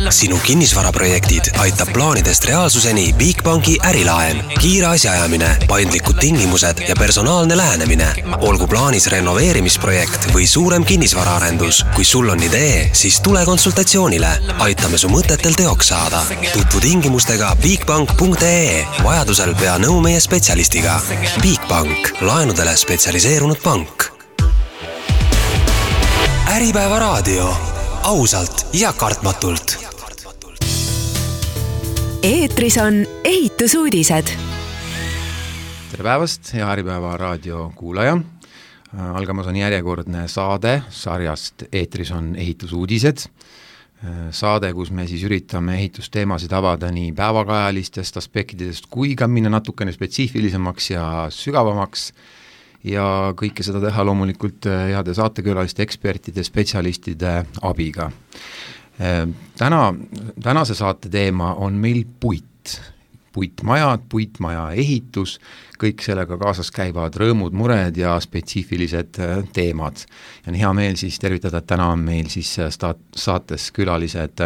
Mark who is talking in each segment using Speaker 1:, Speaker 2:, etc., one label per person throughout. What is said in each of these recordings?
Speaker 1: Sinu kinnisvaraprojektid aitab plaanidest reaalsuseni Bigbanki ärilaen. Kiire asjaajamine, paindlikud tingimused ja personaalne lähenemine. Olgu plaanis renoveerimisprojekt või suurem kinnisvaraarendus. Kui sul on idee, siis tule konsultatsioonile. Aitame su mõtetel teoks saada. Tutvu tingimustega bigbank.ee. Vajadusel pea nõu meie spetsialistiga. Bigbank. Laenudele spetsialiseerunud pank. Äripäeva raadio. Ausalt ja kartmatult.
Speaker 2: Eetris on ehitusuudised.
Speaker 3: Tere päevast, hea Äripäeva raadio kuulaja. Algamas on järjekordne saade sarjast Eetris on ehitusuudised. Saade, kus me siis üritame ehitusteemasid avada nii päevakajalistest aspektidest kui ka minna natukene spetsiifilisemaks ja sügavamaks. Ja kõike seda teha loomulikult heade saatekülaliste, ekspertide, spetsialistide abiga. Tänase saate teema on meil puit. Puitmajad, puitmaja ehitus, kõik sellega kaasas käivad rõõmud, mured ja spetsiifilised teemad. Ja on hea meel siis tervitada, et täna on meil siis saates külalised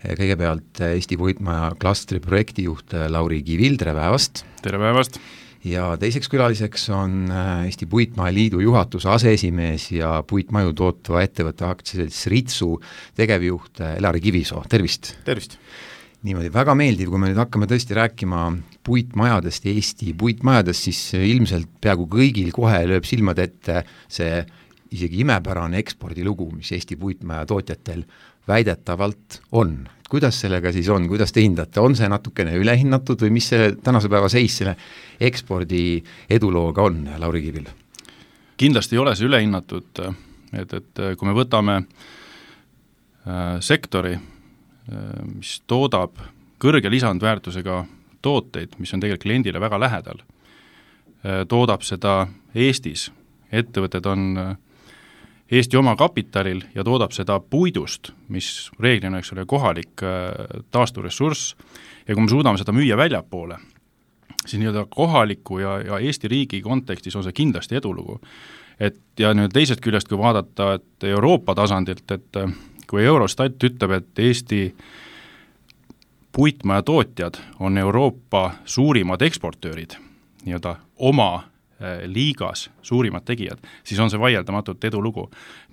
Speaker 3: kõigepealt Eesti puitmaja klastri projektijuht Lauri Kivil, tere päevast!
Speaker 4: Tere päevast!
Speaker 3: Ja teiseks külaliseks on Eesti Puitmaja Liidu juhatuse aseesimees ja puitmaju tootva ettevõtte aktsiaselts Ritsu tegevjuht Elari Kivisoo. Tervist!
Speaker 4: Tervist!
Speaker 3: Niimoodi väga meeldiv, kui me nüüd hakkame tõesti rääkima puitmajadest, Eesti puitmajadest, siis ilmselt peaaegu kõigil kohe lööb silmad ette see isegi imepärane ekspordilugu, mis Eesti puitmaja tootjatel väidetavalt on. Kuidas sellega siis on, kuidas te hindate, on see natukene ülehinnatud või mis see tänase päeva seis selle ekspordi edulooga on, Lauri Kivil?
Speaker 4: Kindlasti ei ole see ülehinnatud, et kui me võtame sektori, mis toodab kõrge lisandväärtusega tooteid, mis on tegelikult kliendile väga lähedal, toodab seda Eestis, ettevõtted on Eesti oma kapitalil ja toodab seda puidust, mis reeglina eks ole kohalik taasturessurss ja kui me suudame seda müüa väljapoole, siis nii-öelda kohaliku ja Eesti riigi kontekstis on see kindlasti edulugu. Ja nüüd teisest küljest, kui vaadata et Euroopa tasandilt, et kui Eurostat ütleb, et Eesti puitmaja tootjad on Euroopa suurimad eksportöörid, nii-öelda oma liigas suurimad tegijad, siis on see vaieldamatult edulugu.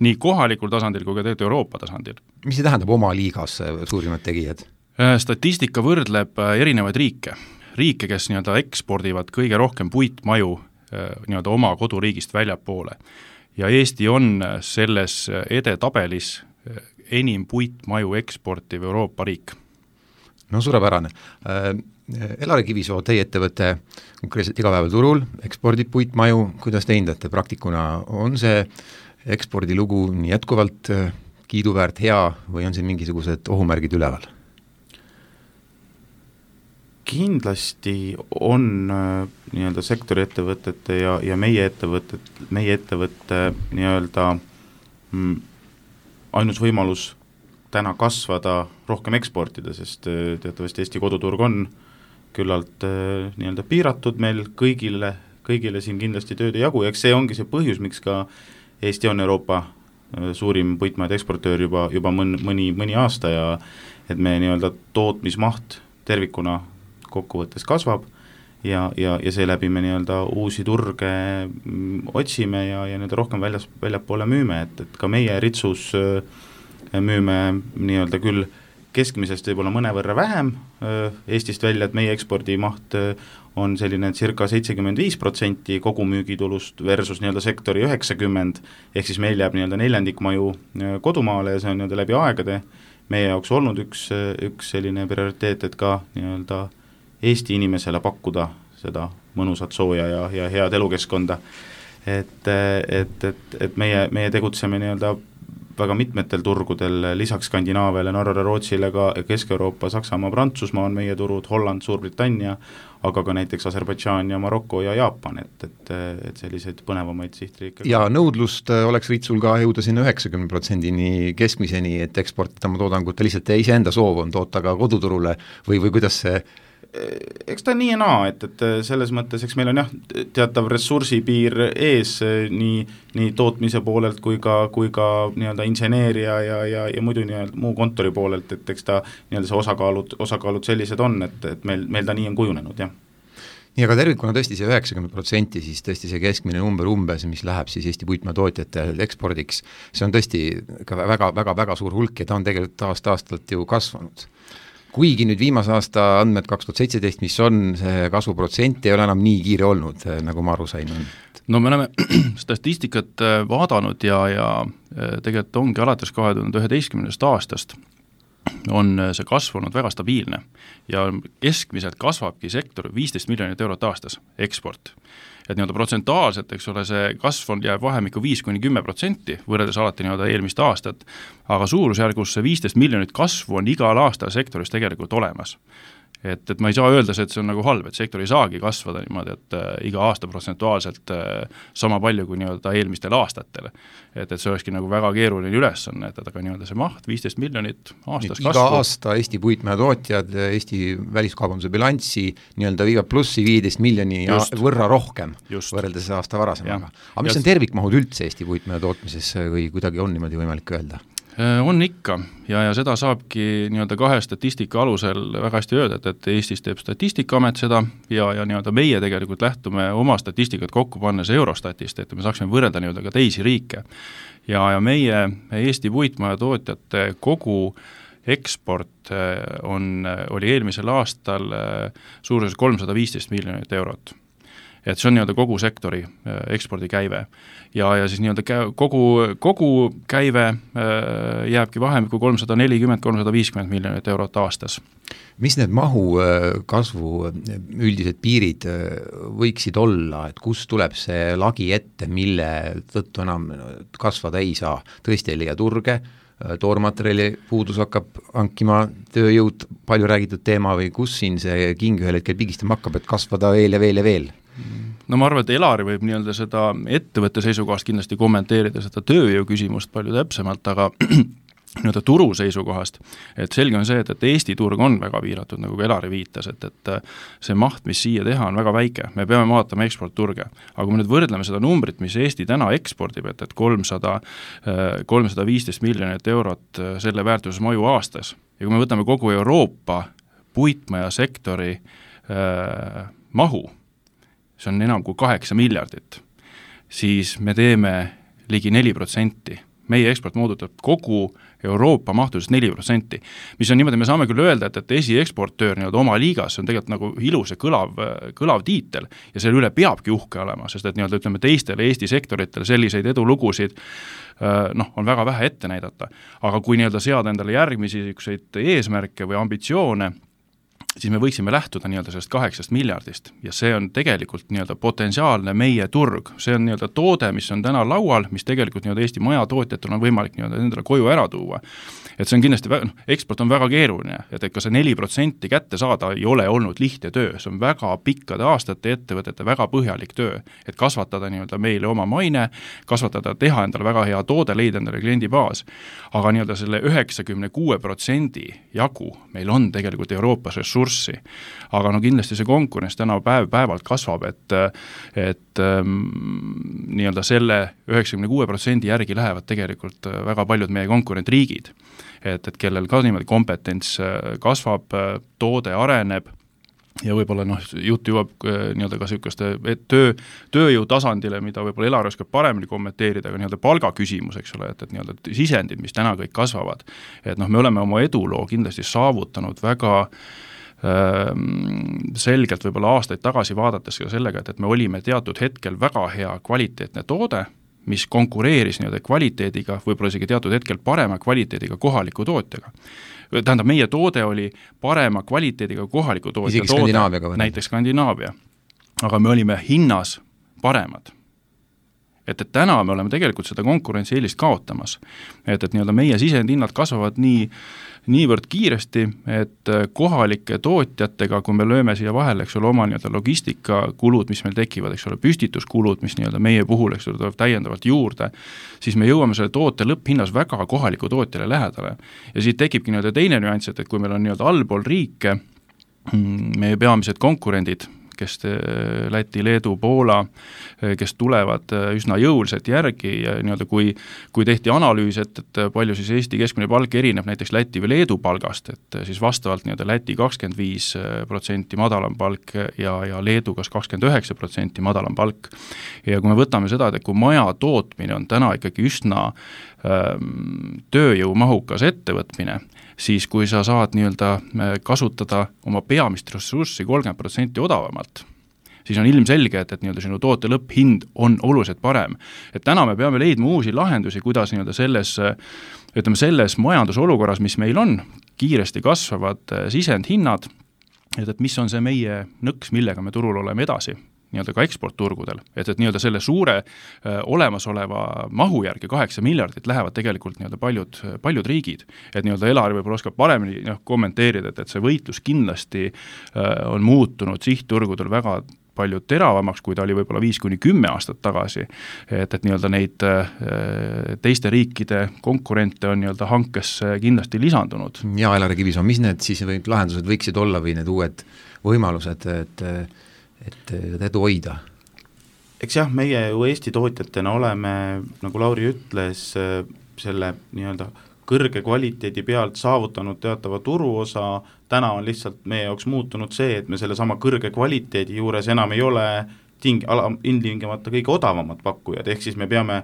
Speaker 4: Nii kohalikul tasandil kui ka tegelikult Euroopa tasandil.
Speaker 3: Mis see tähendab oma liigas suurimad tegijad?
Speaker 4: Statistika võrdleb erinevaid riike. Riike, kes nii-öelda ekspordivad kõige rohkem puitmaju nii-öelda oma koduriigist väljapoole. Ja Eesti on selles edetabelis enim puitmaju eksportiv Euroopa riik.
Speaker 3: No suurepärane. Elari Kivisoo, teie ettevõte konkreetselt igapäeval turul, ekspordib puitmaju, kuidas te hindate praktikuna, on see ekspordilugu nii jätkuvalt kiiduväärt hea või on siin mingisugused ohumärgid üleval?
Speaker 5: Kindlasti on nii-öelda sektori ettevõtete ja meie ettevõtte nii-öelda ainus võimalus täna kasvada rohkem eksportida, sest teatavasti Eesti koduturg on küllalt nii-öelda piiratud meil kõigile siin kindlasti tööd ei jagu, ja see ongi see põhjus, miks ka Eesti on Euroopa suurim puitmajade eksportöör juba mõni aasta ja et me nii-öelda tootmismaht tervikuna kokkuvõttes kasvab ja seeläbi me nii-öelda uusi turge otsime ja nii-öelda rohkem väljapoole müüme, et ka meie Ritsus müüme nii-öelda küll keskmisest võib-olla mõnevõrra vähem Eestist välja, et meie ekspordimaht on selline circa 75% kogu müügitulust versus nii-öelda sektori 90%, ehk siis meil jääb nii-öelda neljandikmaju kodumaale ja see on nii-öelda läbi aegade meie jaoks olnud üks selline prioriteet, et ka nii-öelda Eesti inimesele pakkuda seda mõnusat sooja ja head elukeskkonda. Et meie tegutseme nii-öelda väga mitmetel turgudel, lisaks Skandinaaviale, Norrale, Rootsile, ka Kesk-Euroopa, Saksamaa, Prantsusmaa on meie turud, Holland, Suurbritannia, aga ka näiteks Aserbaidžaan ja Maroko ja Jaapan, et selliseid põnevamaid sihtriike.
Speaker 3: Ja nõudlust oleks Ritsul ka jõuda sinna 90% keskmiseni, et eksportida oma toodangut, lihtsalt iseenda soov on toota ka koduturule või kuidas see
Speaker 5: eks ta nii ja naa, et selles mõttes, eks meil on jah, teatav ressursipiir ees nii tootmise poolelt kui ka nii-öelda inseneeria ja muidu nii-öelda muu kontori poolelt, et eks ta nii-öelda see osakaalud sellised on, et meil ta nii on kujunenud, jah.
Speaker 3: nii, aga tervikuna tõesti see 90%, siis tõesti see keskmine number umbes, mis läheb siis Eesti puitmaatootjatel ekspordiks, see on tõesti ka väga suur hulk ja ta on tegelikult aastalt ju kasvanud. Kuigi nüüd viimase aasta andmed 2017, mis on see kasvuprotsent, ei ole enam nii kiire olnud, nagu ma aru sain.
Speaker 4: No me oleme statistikat vaadanud ja tegelikult ongi alates 2011. aastast on see kasvanud väga stabiilne ja keskmiselt kasvabki sektor 15 miljonit eurot aastas eksport. Et nii-öelda protsentuaalselt, eks ole, see kasv on jääb vahemikku 5-10% võrreldes alati nii-öelda eelmist aastat, aga suurusjärgus see 15 miljonit kasvu on igal aastal sektoris tegelikult olemas. Et ma ei saa öelda, et see on nagu halb, et sektor ei saagi kasvada niimoodi, et iga aasta protsentuaalselt sama palju kui nii-öelda eelmistel aastatel. Et see olekski nagu väga keeruline ülesanne, et aga nii-öelda see maht 15 miljonit aastas kasvu.
Speaker 3: Iga aasta Eesti puitmäetootjad Eesti väliskaubanduse bilanssi nii-öelda viivad plussi 15 miljoni võrra rohkem võrreldes aasta varasemaga. Aga mis on tervikmahud üldse Eesti puitmäetootmises või kuidagi on niimoodi võimalik öelda?
Speaker 4: On ikka ja seda saabki nii-öelda kahe statistika alusel väga hästi öelda, et Eestis teeb Statistikaamet seda ja nii-öelda meie tegelikult lähtume oma statistikat kokku pannes Eurostatist, et me saaksime võrrelda nii-öelda ka teisi riike. Ja meie Eesti puitmajatootjate kogu eksport oli eelmisel aastal suuruses 315 miljonit eurot. Et see on nii-öelda kogu sektori ekspordikäive ja siis nii-öelda kogu käive jääbki vahemikku 340-350 miljonit eurot aastas.
Speaker 3: Mis need mahu kasvu üldised piirid võiksid olla, et kust tuleb see lagi ette, mille tõttu enam kasvada ei saa? Tõesti ei leia turge, toormaterjali puudus hakkab hankima tööjõud, palju räägitud teema või kus siin see king ühel hetkel pigistama hakkab, et kasvada veel ja veel ja veel?
Speaker 4: No ma arvan, et Elari võib nii-öelda seda ettevõtte seisukohast kindlasti kommenteerida seda tööjõu küsimust palju täpsemalt, aga nii-öelda turu seisukohast, et selge on see, et Eesti turg on väga piiratud, nagu Elari viitas, et see maht, mis siia teha, on väga väike, me peame vaatama eksportturge, aga kui me nüüd võrdleme seda numbrit, mis Eesti täna ekspordib, et 315 miljonit eurot selle väärtuses maju aastas, ja kui me võtame kogu Euroopa puitmajasektori mahu, see on enam kui 8 miljardit, siis me teeme ligi 4%. Meie eksport moodutab kogu Euroopa mahtusest 4%, mis on niimoodi, me saame küll öelda, et esieksportöör nii-öelda oma liigas on tegelikult nagu ilus ja kõlav tiitel ja selle üle peabki uhke olema, sest et nii-öelda ütleme teistele Eesti sektoritele selliseid edulugusid on väga vähe ette näidata. Aga kui nii-öelda seada endale järgmisi eesmärke või ambitsioone, siis me võiksime lähtuda nii-öelda sellest 8 miljardist ja see on tegelikult nii-öelda potentsiaalne meie turg. See on nii-öelda toode, mis on täna laual, mis tegelikult nii-öelda Eesti majatootjatel on võimalik nii-öelda endale koju ära tuua. Et see on kindlasti, eksport on väga keeruline, et ka see 4% kätte saada ei ole olnud lihtne töö, see on väga pikkade aastate ettevõtete väga põhjalik töö, et kasvatada nii-öelda meile oma maine, kasvatada, teha endale väga hea toode, leida endale kliendibaas, aga nii-öelda selle 96% jagu meil on tegelikult Euroopas ressurssi, aga kindlasti see konkurents täna päevalt kasvab, et nii-öelda selle 96% järgi lähevad tegelikult väga paljud meie konkurentriigid, et kellel ka niimoodi kompetents kasvab, toode areneb ja võib-olla jutt jõuab nii-öelda ka süükaste tööjõu tasandile, mida võib-olla Elari oskab paremini kommenteerida, aga nii-öelda palga küsimus, eks ole, et nii-öelda sisendid, mis täna kõik kasvavad, et me oleme oma eduloo kindlasti saavutanud väga selgelt võib-olla aastaid tagasi vaadates ka sellega, et me olime teatud hetkel väga hea kvaliteetne toode, mis konkureeris nii-öelda kvaliteediga, võib-olla isegi teatud hetkel parema kvaliteediga kohaliku tootjaga. Tähendab, meie toode oli parema kvaliteediga kohaliku tootja
Speaker 3: isegi Skandinaaviaga
Speaker 4: toode, näiteks Skandinaavia, aga me olime hinnas paremad. Et täna me oleme tegelikult seda konkurentsi eelist kaotamas, et nii-öelda meie sisendhinnad kasvavad niivõrd kiiresti, et kohalike tootjatega, kui me lööme siia vahele, eks ole, oma nii-öelda logistikakulud, mis meil tekivad, eks ole, püstituskulud, mis nii-öelda meie puhul, eks ole, tuleb täiendavalt juurde, siis me jõuame selle toote lõpphinnas väga kohaliku tootjale lähedale. Ja siit tekibki nii-öelda teine nüanss, et kui meil on nii-öelda allpool riike, meie peamised konkurendid, kes Läti, Leedu, Poola, kes tulevad üsna jõuliselt järgi ja nii-öelda kui tehti analüüs, et palju siis Eesti keskmine palk erineb näiteks Läti või Leedu palgast, et siis vastavalt nii-öelda Läti 25% madalam palk ja Leedu kas 29% madalam palk. Ja kui me võtame seda, et kui maja tootmine on täna ikkagi üsna tööjõumahukas ettevõtmine, siis kui sa saad nii-öelda kasutada oma peamist ressurssi 30% odavamalt, siis on ilmselge, et nii-öelda sinu toote lõpphind on oluliselt parem. Et täna me peame leidma uusi lahendusi, kuidas nii-öelda selles majandusolukorras, mis meil on, kiiresti kasvavad sisendhinnad, et mis on see meie nõks, millega me turul oleme edasi nii-öelda ka eksportturgudel, et nii-öelda selle suure olemasoleva mahu järgi 8 miljardit lähevad tegelikult nii-öelda paljud riigid, et nii-öelda Elari võib-olla oskab paremini kommenteerida, et see võitlus kindlasti on muutunud sihtturgudel väga palju teravamaks, kui ta oli võib-olla 5-10 aastat tagasi, et nii-öelda neid teiste riikide konkurente on nii-öelda hankesse kindlasti lisandunud.
Speaker 3: Ja Elari Kivisoon, mis need siis lahendused võiksid olla või need uued võimalused, et edu hoida?
Speaker 5: Eks jah, meie ju Eesti tootjatena oleme, nagu Lauri ütles, selle nii-öelda kõrge kvaliteedi pealt saavutanud teatava turuosa, täna on lihtsalt meie jaoks muutunud see, et me selle sama kõrge kvaliteedi juures enam ei ole ilmtingimata kõige odavamad pakkujad, ehk siis me peame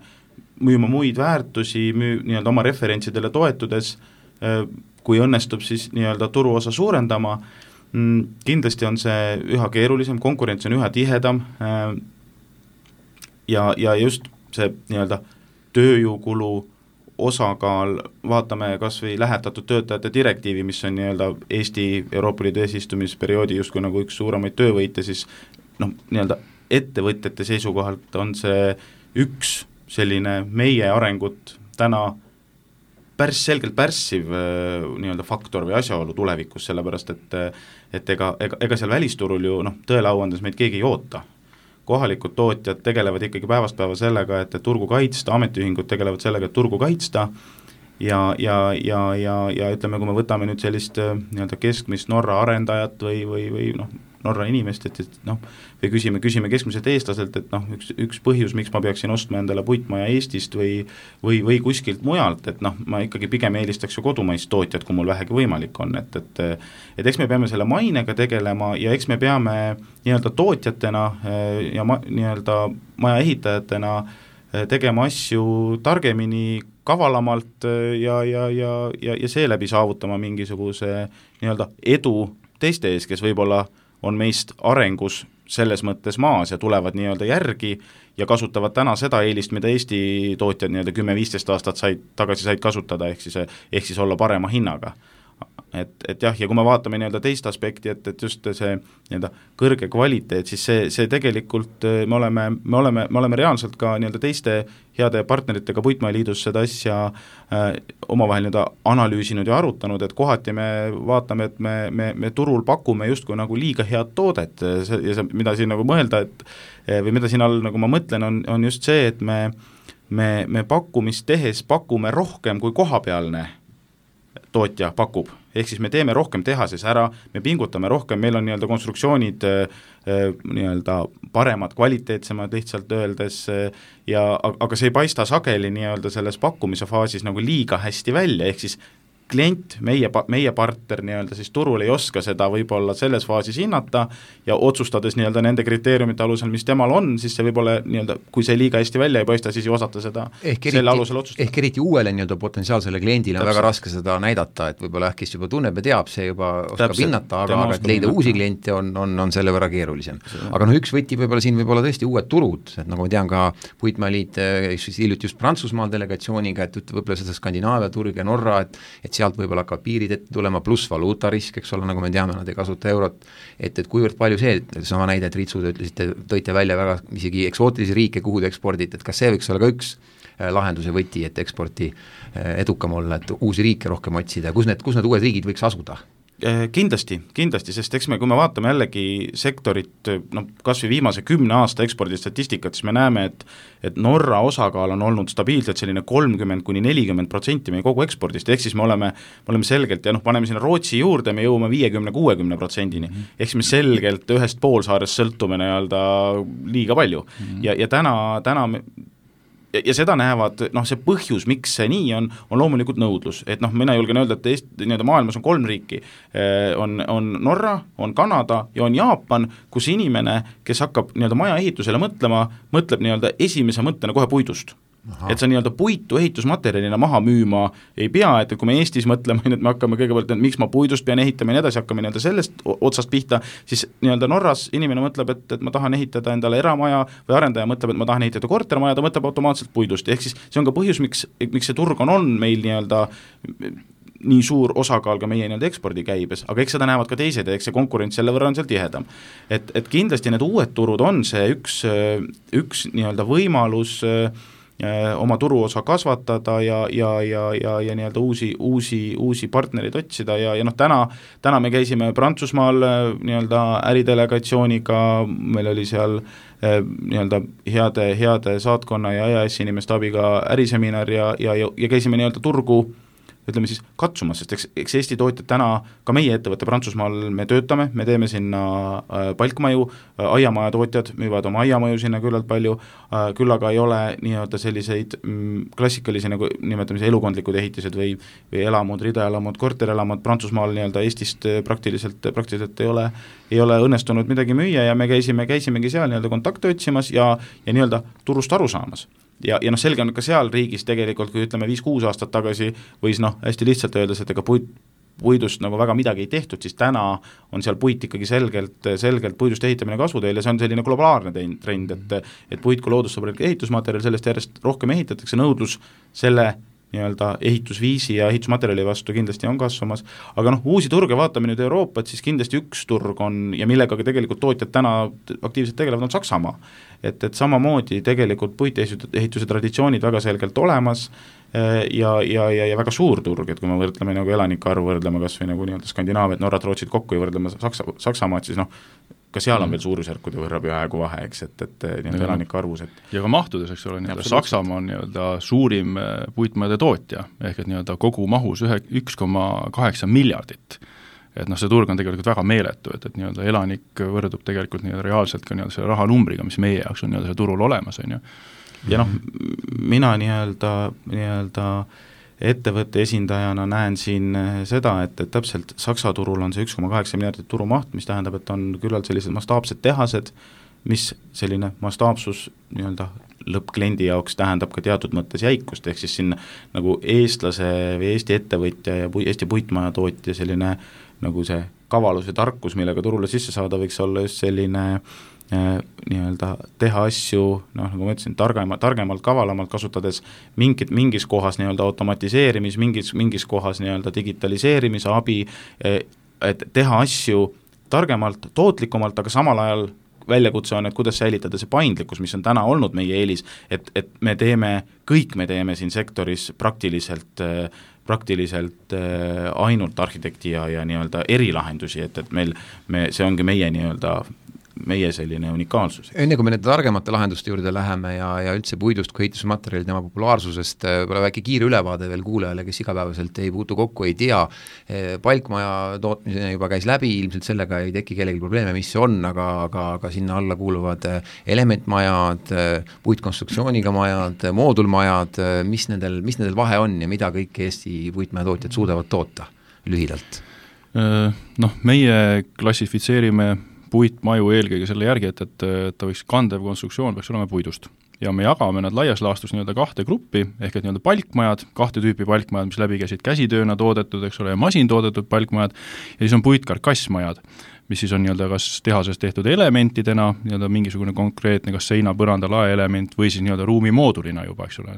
Speaker 5: müüma muid väärtusi, nii-öelda oma referentsidele toetudes, kui õnnestub siis nii-öelda turuosa suurendama. Kindlasti on see üha keerulisem, konkurents on üha tihedam ja just see nii-öelda tööjõukulu osakaal, vaatame kas või lähetatud töötajate direktiivi, mis on nii-öelda Eesti Euroopa Liidu eesistumisperioodi justkui nagu üks suuremaid töövõite, siis nii-öelda ettevõtjate seisukohalt on see üks selline meie arengut täna selgelt pärssiv nii-öelda faktor või asjaolu tulevikus, sellepärast et ega seal välisturul ju tõele au andes meid keegi ei oota. Kohalikud tootjad tegelevad ikkagi päevast päeva sellega, et turgu kaitsta, ametiühingud tegelevad sellega, et turgu kaitsta ja ütleme, kui me võtame nüüd sellist nii-öelda keskmist Norra arendajat või Norra inimest, et või küsime keskmiselt eestlaselt, et üks põhjus, miks ma peaksin ostma endale puitmaja Eestist või kuskilt mujalt, et ma ikkagi pigem eelistaks ju kodumaist tootjat, kui mul vähegi võimalik on, et eks me peame selle mainega tegelema ja eks me peame nii-öelda tootjatena ja nii-öelda maja ehitajatena tegema asju targemini, kavalamalt ja seeläbi saavutama mingisuguse nii-öelda edu teiste ees, kes võib-olla on meist arengus selles mõttes maas ja tulevad nii-öelda järgi ja kasutavad täna seda eelist, mida Eesti tootjad nii-öelda 10-15 aastat tagasi said kasutada, ehk siis olla parema hinnaga. Et jah, ja kui me vaatame nii-öelda teist aspekti, et just see nii-öelda kõrge kvaliteet, siis see tegelikult me oleme reaalselt ka nii-öelda teiste heade partneritega Puitmaaliidus seda asja omavahel nii-öelda analüüsinud ja arutanud, et kohati me vaatame, et me turul pakume justkui nagu liiga head toodet ja mida siin nagu mõelda, või mida siin all nagu ma mõtlen, on just see, et me pakkumist tehes pakume rohkem kui kohapealne tootja pakub, ehk siis me teeme rohkem tehases ära, me pingutame rohkem, meil on nii-öelda konstruktsioonid nii-öelda paremad, kvaliteetsemad lihtsalt öeldes aga see ei paista sageli nii-öelda selles pakkumise faasis nagu liiga hästi välja, ehk siis klient, meie partner nii-öelda siis turul ei oska seda võib-olla selles faasis hinnata ja otsustades nii-öelda nende kriteeriumite alusel, mis temal on, siis see võib-olla nii-öelda, kui see liiga hästi välja ei paista, siis ei osata seda selle alusel otsustada. Ehk
Speaker 3: eriti uuele nii-öelda potentsiaalsele kliendile on väga raske seda näidata, et võib-olla kes juba tunneb ja teab, see juba oskab hinnata, aga et leida uusi kliente on selle võrra keerulisem. Aga üks võti võib-olla siin võib-olla tõesti uued turud, et nagu ma tean ka Puitmaaliit hiljuti just Prantsusmaal delegatsiooniga, et võib-olla seda Skandinaavia turg ja Norra, et sealt võib-olla hakkavad piirid ette tulema, pluss valuutarisk, eks ole, nagu me teame, nad ei kasuta eurot, et kuivõrd palju see, sama näide, et Ritsu tõite välja väga isegi eksootilisi riike, kuhu te ekspordite, et kas see võiks olla ka üks lahenduse võti, et eksporti edukam olla, et uusi riike rohkem otsida, kus need uued riigid võiks asuda?
Speaker 5: Kindlasti, sest eks kui me vaatame jällegi sektorit, kas või viimase 10 aasta ekspordistatistikat, siis me näeme, et Norra osakaal on olnud stabiilselt selline 30–40% meie kogu ekspordist, ehk siis me oleme selgelt, ja paneme sinna Rootsi juurde, me jõuame 50–60%-ni, ehk siis me selgelt ühest poolsaarest sõltume liiga palju ja täna ja seda näevad, see põhjus, miks see nii on loomulikult nõudlus, et mina julgen öelda, et maailmas on 3 riiki, on Norra, on Kanada ja on Jaapan, kus inimene, kes hakkab maja ehitusele mõtleb esimese mõttena kohe puidust. Et sa puitu ehitusmaterjalina maha müüma ei pea, et kui me Eestis mõtleme, et me hakkame kõigepealt, et miks ma puidust pean ehitama ja nii edasi, hakkame sellest otsast pihta, siis Norras inimene mõtleb, et ma tahan ehitada endale eramaja või arendaja mõtleb, et ma tahan ehitada kortermaja, ta mõtleb automaatselt puidust, ehk siis see on ka põhjus, miks see turg on meil nii suur osakaal ka meie ekspordikäibes, aga eks seda näevad ka teised ja eks see konkurents selle võrra on seal tihedam. Et kindlasti need uued turud on see üks võimalus oma turuosa kasvatada ja uusi partnereid otsida ja täna me käisime Prantsusmaal äridelegatsiooniga, meil oli seal heade saatkonna ja EAS inimeste abiga äriseminar ja käisime turgu ütleme siis katsumas, sest eks Eesti tootjad täna, ka meie ettevõtte Prantsusmaal me töötame, me teeme sinna palkmaju, aiamaja tootjad müüvad oma aiamaju sinna küllalt palju, küll aga ei ole selliseid klassikalisi nimetamise elukondlikud ehitised või elamud, ridaelamud, korterelamud Prantsusmaal Eestist praktiliselt ei ole õnnestunud midagi müüa ja me käisimegi seal kontakte otsimas ja turust aru saamas. Ja selge on ka seal riigis tegelikult, kui ütleme 5-6 aastat tagasi võis hästi lihtsalt öeldes, et ega puidust väga midagi ei tehtud, siis täna on seal puit ikkagi selgelt puidust ehitamine kasvuteel ja see on selline globaalne trend, et puit kui loodussõbralik ehitusmaterjal, sellest järjest rohkem ehitatakse, nõudlus selle ehitusviisi ja ehitusmaterjali vastu kindlasti on kasvamas, aga uusi turge vaatame nüüd Euroopat, siis kindlasti üks turg on ja millega ka tegelikult tootjad täna aktiivselt tegelevad, on Saksamaa. Et samamoodi tegelikult puitehituse traditsioonid väga selgelt olemas ja väga suur turg, et kui me võrdleme elanike arvu, võrdleme kas või Skandinaaviat, Norrat, Rootsit kokku ja võrdleme Saksamaad, siis ka seal on veel suurusjärkude võrra peaaegu vahe, eks, et elanike arvus.
Speaker 4: Ja ka mahtudes, eks ole, Saksamaa on suurim puitmajade tootja, ehk et kogu mahus 1,8 miljardit. Et see turg on tegelikult väga meeletu, et elanik võrdub tegelikult reaalselt ka selle rahanumbriga, mis meie jaoks on see turul olemas.
Speaker 5: Ja mina ettevõtte esindajana näen siin seda, et täpselt Saksa turul on see 1,8 miljardit turumaht, mis tähendab, et on küllalt sellised mastaapsed tehased, mis selline mastaapsus lõppkliendi jaoks tähendab ka teatud mõttes jäikust, ehk siis siin eestlase või Eesti ettevõtja ja Eesti puitmaja tootja selline see kavalus ja tarkus, millega turule sisse saada, võiks olla just selline teha asju, nagu ma ütlesin, targemalt, kavalamalt, kasutades mingis kohas automatiseerimis, mingis kohas digitaliseerimise abi, et teha asju targemalt, tootlikumalt, aga samal ajal väljakutse on, et kuidas säilitada see paindlikkus, mis on täna olnud meie eelis, et me teeme siin sektoris praktiliselt ainult arhitekti ja erilahendusi, et see ongi meie selline unikaalsus.
Speaker 3: Enne kui me nende targemate lahenduste juurde läheme ja üldse puidust kui ehitusmaterjali tema populaarsusest, pole väike kiire ülevaade veel kuulajale, kes igapäevaselt ei puutu kokku, ei tea. Palkmaja tootmisena juba käis läbi, ilmselt sellega ei teki kellegi probleeme, mis see on, aga sinna alla kuuluvad elementmajad, puitkonstruktsiooniga majad, moodulmajad, mis nendel vahe on ja mida kõik Eesti puitmajatootjad suudavad toota lühidalt?
Speaker 4: Meie klassifitseerime puitmaju eelkõige selle järgi, et ta võiks kandev konstruktsioon peaks olema puidust. Ja me jagame nad laias laastus 2 gruppi, ehk et palkmajad, 2 tüüpi palkmajad, mis läbi käisid käsitööna toodetud, eks ole, ja masintoodetud palkmajad, ja siis on puitkarkassmajad, mis siis on nii-öelda kas tehases tehtud elementidena, nii-öelda mingisugune konkreetne kas seina, põranda, lae element või siis nii-öelda ruumimoodulina juba, eks ole.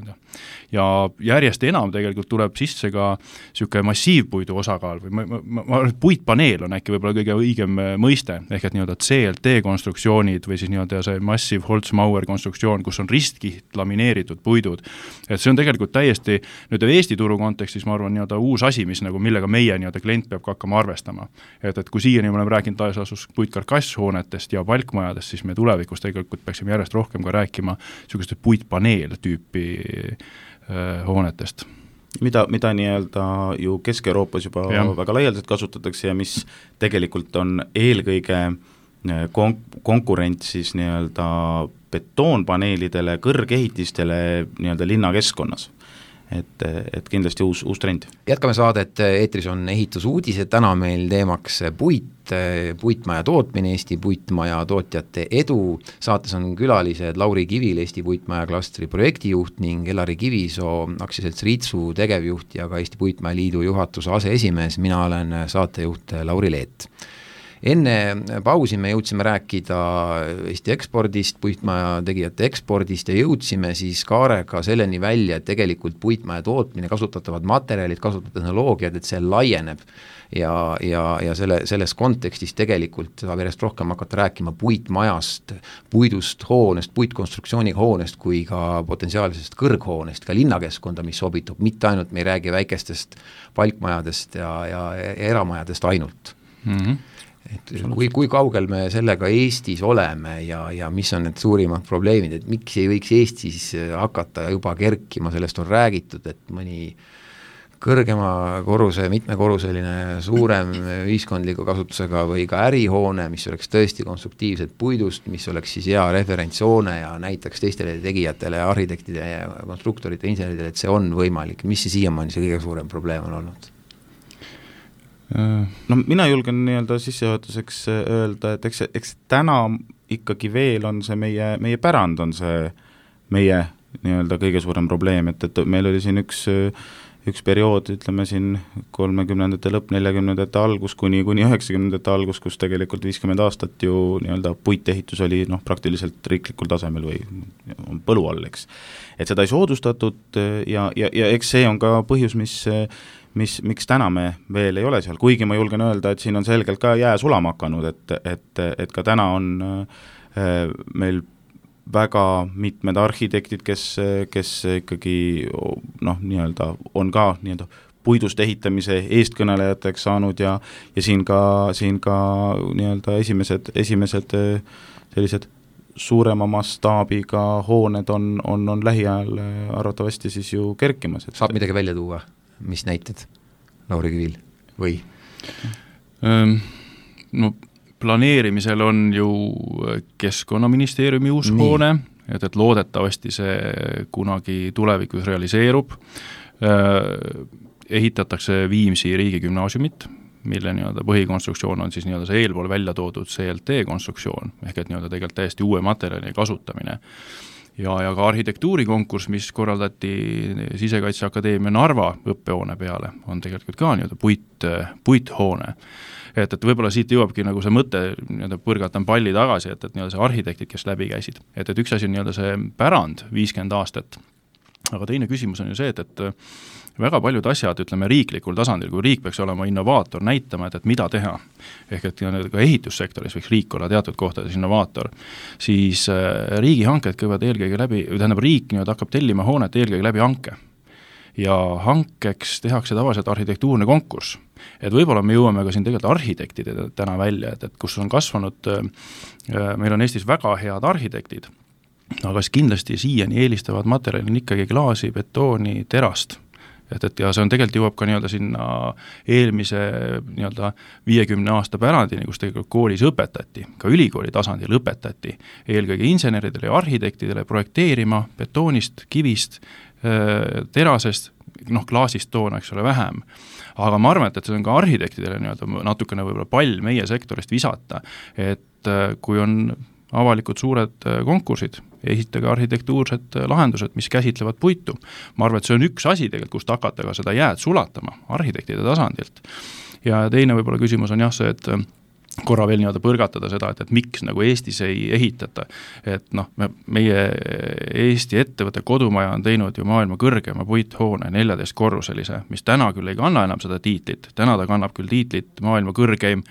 Speaker 4: Ja järjest enam tegelikult tuleb sisse ka niisugune massiivpuidu osakaal või puitpaneel on äkki võib-olla kõige õigem mõiste, ehk et nii-öelda CLT konstruktsioonid või siis nii-öelda see Massive Holzmauer konstruktsioon, kus on ristkiht lamineeritud puidud. Et see on tegelikult täiesti nüüd Eesti turu kontekstis, ma arvan, nii-öelda uus asi, mis nagu millega meie nii-öelda klient peab ka hakkama arvestama. Et kui siiani me oleme rääkinud laias puitkarkasshoonetest ja palkmajadest, siis me tulevikus tegelikult peaksime järjest rohkem ka rääkima niisuguste puitpaneel tüüpi hoonetest.
Speaker 5: Mida nii-öelda ju Kesk-Euroopas juba väga laialdaselt kasutatakse ja mis tegelikult on eelkõige konkurent siis nii-öelda betoonpaneelidele, kõrgehitistele nii-öelda linnakeskkonnas. Et kindlasti uus trend.
Speaker 3: Jätkame saadet, eetris on ehitusuudised, täna meil teemaks puitmaja tootmine, Eesti puitmaja tootjate edu. Saates on külalised Lauri Kivil, Eesti puitmaja klastri projektijuht ning Elari Kivisoo, aktsiaselts Ritsu tegevjuht ja ka Eesti Puitmaja Liidu juhatuse aseesimees. Mina olen saatejuht Lauri Leet. Enne pausi me jõudsime rääkida Eesti ekspordist, puitmaja tegijate ekspordist ja jõudsime siis Kaarega selleni välja, et tegelikult puitmaja tootmine, kasutatavad materjalid, kasutatud tehnoloogiad, et see laieneb ja selles kontekstis tegelikult saab järjest rohkem hakata rääkima puitmajast, puidust hoonest, puitkonstruktsiooniga hoonest kui ka potentsiaalsest kõrghoonest, ka linnakeskkonda, mis sobitub, mitte ainult me ei räägi väikestest palkmajadest ja eramajadest ainult. Et kui kaugel me sellega Eestis oleme ja mis on need suurimad probleemid, et miks ei võiks Eestis hakata juba kerkima, sellest on räägitud, et mõni kõrgema korruse, mitmekorruseline suurem ühiskondliku kasutusega või ka ärihoone, mis oleks tõesti konstruktiivselt puidust, mis oleks siis hea referentshoone ja näitaks teistele tegijatele, arhitektide ja konstruktorite, inseneridele, et see on võimalik. Mis see siiamaani see kõige suurem probleem on olnud?
Speaker 5: No mina julgen nii-öelda sissejuhatuseks öelda, et eks täna ikkagi veel on see meie pärand on see meie nii-öelda kõige suurem probleem, et meil oli siin üks periood, ütleme siin 30ndate lõpp, 40ndate algus kuni 90ndate algus, kus tegelikult 50 aastat ju nii-öelda puitehitus oli praktiliselt riiklikul tasemel või põlu all, eks. Et seda ei soodustatud ja eks see on ka põhjus, miks täna me veel ei ole seal, kuigi ma julgen öelda, et siin on selgelt ka jää sulama hakanud, et ka täna on meil väga mitmed arhitektid, kes ikkagi nii-öelda on ka nii-öelda puidust ehitamise eestkõnelejateks saanud ja siin ka nii-öelda esimesed sellised suurema mastaabiga hooned on lähiajal arvatavasti siis ju kerkimas.
Speaker 3: Saab midagi välja tuua? Mis näited, Lauri Kivil, või?
Speaker 4: No planeerimisel on ju Keskkonnaministeeriumi uus hoone, et loodetavasti see kunagi tulevikus realiseerub. Ehitatakse Viimsi riigigümnaasiumit, mille nii-öelda põhikonstruktsioon on siis nii-öelda see eelpool välja toodud CLT konstruktsioon, ehk et nii-öelda tegelikult täiesti uue materjali kasutamine. Ja ka arhitektuurikonkurss, mis korraldati Sisekaitseakadeemia Narva õppehoone peale, on tegelikult ka nii-öelda puithoone. Et võib-olla siit jõuabki nagu see mõte, nii-öelda põrgatan palli tagasi, et nii-öelda see arhitektid, kes läbi käisid. Et üks asi on nii-öelda see pärand 50 aastat, aga teine küsimus on ju see, et väga paljud asjad, ütleme riiklikul tasandil, kui riik peaks olema innovaator, näitama, et mida teha, ehk et ka ehitussektoris võiks riik olla teatud kohtades innovaator, siis riigihanked kõivad eelkõige läbi, riik nii-öelda hakkab tellima hoonet eelkõige läbi hanke. Ja hankeks tehakse tavaliselt arhitektuurne konkurss. Et võib-olla me jõuame ka siin tegelikult arhitektide täna välja, et kus on kasvanud, meil on Eestis väga head arhitektid, aga kindlasti siiani eelistavad materjalin ikkagi klaasi, betooni, terast. Ja see on tegelikult jõuab ka nii-öelda sinna eelmise nii-öelda 50 aasta pärandini, kus tegelikult koolis õpetati, ka ülikooli tasandil õpetati eelkõige inseneridele ja arhitektidele projekteerima betoonist, kivist, terasest, klaasist toona, eks ole, vähem. Aga ma arvan, et see on ka arhitektidele nii-öelda natukene võib-olla pall meie sektorist visata, et kui on avalikud suured konkursid, esitage arhitektuursed lahendused, mis käsitlevad puitu. Ma arvan, et see on üks asi tegelikult, kust hakata ka seda jääd sulatama arhitektide tasandilt. Ja teine võib-olla küsimus on jah see, et korra veel nii-öelda põrgatada seda, et miks nagu Eestis ei ehitata. Et noh, meie Eesti ettevõtte kodumaja on teinud ju maailma kõrgema puithoone 14-korruselise, mis täna küll ei kanna enam seda tiitlit, täna ta kannab küll tiitlit maailma kõrgeim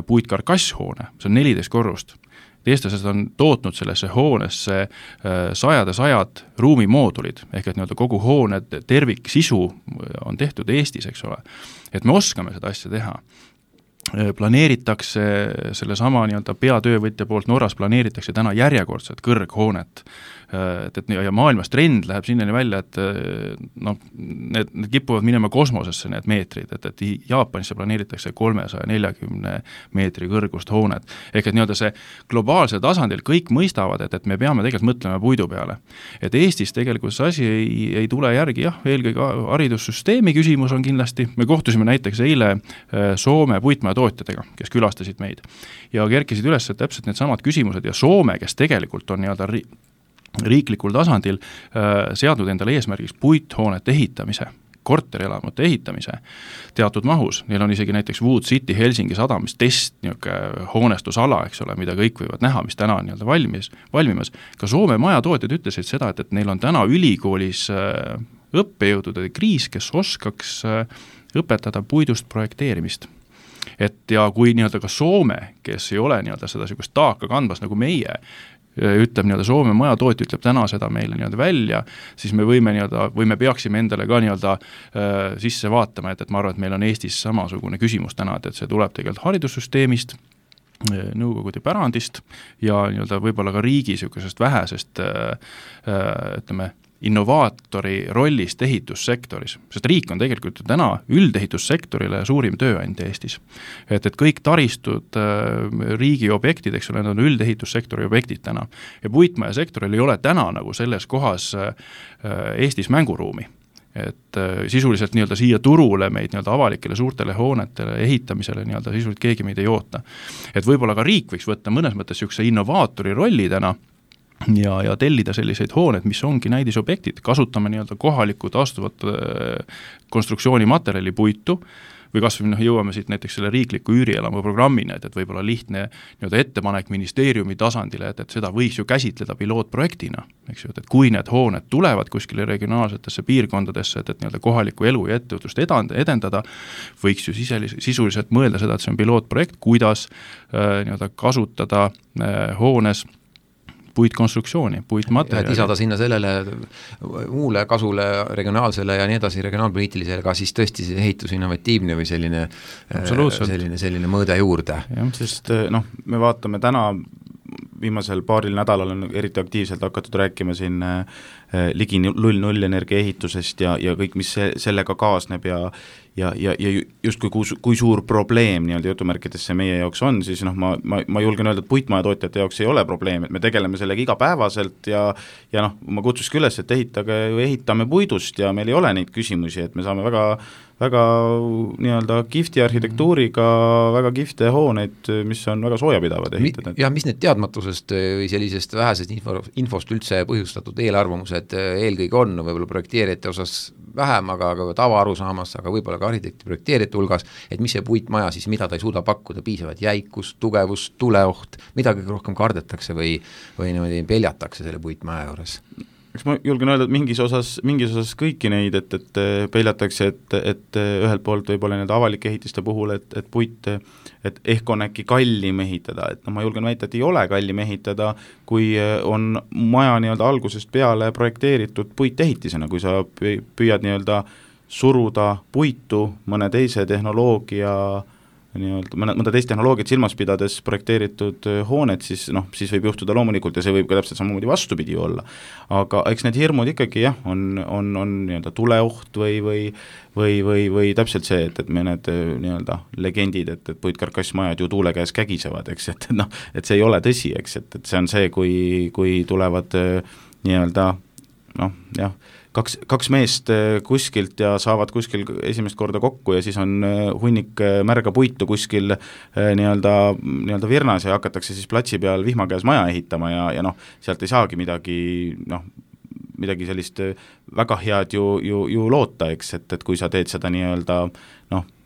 Speaker 4: puitkarkasshoone, see on 14 korrust. Eestlased on tootnud sellesse hoonesse sajad ruumimoodulid, ehk et nii-öelda kogu hoone tervik sisu on tehtud Eestis, eks ole. Et me oskame seda asja teha. Planeeritakse sellesama nii-öelda peatöövõtja poolt Norras planeeritakse täna järjekordset kõrghoonet. Ja maailmas trend läheb sinnani välja, et noh, need kipuvad minema kosmosesse need meetrid, et Jaapanisse planeeritakse 340 meetri kõrgust hoonet. Ehk et nii-öelda see globaalsel tasandil kõik mõistavad, et me peame tegelikult mõtlema puidu peale. Et Eestis tegelikult see asi ei tule järgi, jah, eelkõige haridussüsteemi küsimus on kindlasti, me kohtusime näiteks eile Soome puitmajatootjatega, kes külastasid meid ja kerkisid üles täpselt need samad küsimused ja Soome, kes tegelikult on nii-öelda riiklikul tasandil seadnud endale eesmärgiks puithoonete ehitamise, korterelamute ehitamise teatud mahus. Neil on isegi näiteks Wood City Helsingi sadamis test hoonestusala, eks ole, mida kõik võivad näha, mis täna on nii-öelda valmimas. Ka Soome majatootjad ütlesid seda, et neil on täna ülikoolis õppejõudude kriis, kes oskaks õpetada puidust projekteerimist. Et ja kui nii-öelda ka Soome, kes ei ole nii-öelda seda sugust taaka kandvas nagu meie, ütleb nii-öelda Soome majatootja ütleb täna seda meile nii-öelda välja, siis me võime nii-öelda, või me peaksime endale ka nii-öelda sisse vaatama, et ma arvan, et meil on Eestis samasugune küsimus täna, et see tuleb tegelikult haridussüsteemist, nõukogude pärandist ja nii-öelda võib-olla ka riigi sükesest vähesest ütleme, innovaatori rollist ehitussektoris, sest riik on tegelikult täna üldehitussektorile suurim tööandja Eestis. Et kõik taristud riigi objektid, eks ole, need on üldehitussektori objektid täna. Ja puitmajasektoril ei ole täna nagu selles kohas Eestis mänguruumi. Et sisuliselt nii-öelda siia turule meid nii-öelda avalikele suurtele hoonetele ehitamisele nii-öelda sisuliselt keegi meid ei oota. Et võib-olla ka riik võiks võtta mõnes mõttes sükse innovaatori rolli täna ja tellida selliseid hooned, mis ongi näidisobjektid, kasutame nii-öelda kohalikku taastuvat konstruktsioonimaterjali puitu või kas või jõuame siit näiteks selle riikliku üürielamu programmina, et võib-olla lihtne nii-öelda ettepanek ministeeriumi tasandile, et seda võiks ju käsitleda pilootprojektina, eks ju, et kui need hooned tulevad kuskile regionaalsetesse piirkondadesse, et nii-öelda kohalikku elu ja ettevõtlust edendada, võiks ju sisuliselt mõelda seda, et see on pilootprojekt, kuidas nii-öelda kasutada hoones puitkonstruktsiooni, puitmaterjali.
Speaker 3: Lisada sinna sellele muule kasule regionaalsele ja nii edasi regionaalpoliitilisele ka siis tõesti see ehitus innovatiivne või selline mõõde juurde.
Speaker 5: Sest me vaatame täna viimasel paaril nädalal on eriti aktiivselt hakatud rääkima siin ligi 0-0 energia ehitusest ja kõik, mis sellega kaasneb ja just kui suur probleem nii-öelda jutumärkides see meie jaoks on, siis ma julgen öelda, et puitmajatootjate jaoks ei ole probleem, et me tegeleme sellega igapäevaselt ja ma kutsuski üles, et ehitame puidust ja meil ei ole neid küsimusi, et me saame väga nii-öelda kihvti arhitektuuriga, väga kihvte hooneid, mis on väga soojapidavad ehitada.
Speaker 3: Ja mis need teadmatusest või sellisest vähesest infost üldse põhjustatud eelarvamused eelkõige on, võib-olla projekteerijate osas vähem, aga tavaarusaamas, aga võib-olla ka arhitekti projekteerijate hulgas, et mis see puitmaja siis, mida ta ei suuda pakkuda, piisavat jäikust, tugevust, tuleoht, mida kõige rohkem kardetakse või niimoodi peljatakse selle puitmaja juures?
Speaker 5: Eks ma julgen öelda, et mingis osas kõiki neid, et peljatakse, et ühelt poolt võib-olla need avalike ehitiste puhul, et puit, et ehk on äkki kallim ehitada, et ma julgen väita, et ei ole kallim ehitada, kui on maja nii-öelda algusest peale projekteeritud puitehitisena, kui sa püüad nii-öelda suruda puitu mõne teise tehnoloogia mõnda teist tehnoloogiat silmas pidades projekteeritud hoonet, siis võib juhtuda loomulikult ja see võib ka täpselt samamoodi vastupidi olla. Aga eks need hirmud ikkagi on nii-öelda tuleoht või täpselt see, et me need nii-öelda legendid, et puitkarkassmajad ju tuule käes kägisevad, eks, et see ei ole tõsi, eks, et see on see, kui tulevad nii-öelda kaks meest kuskilt ja saavad kuskil esimest korda kokku ja siis on hunnik märga puitu kuskil nii-öelda virnas ja hakatakse siis platsi peal vihma käes maja ehitama ja sealt ei saagi midagi sellist väga head ju loota, eks, et kui sa teed seda nii-öelda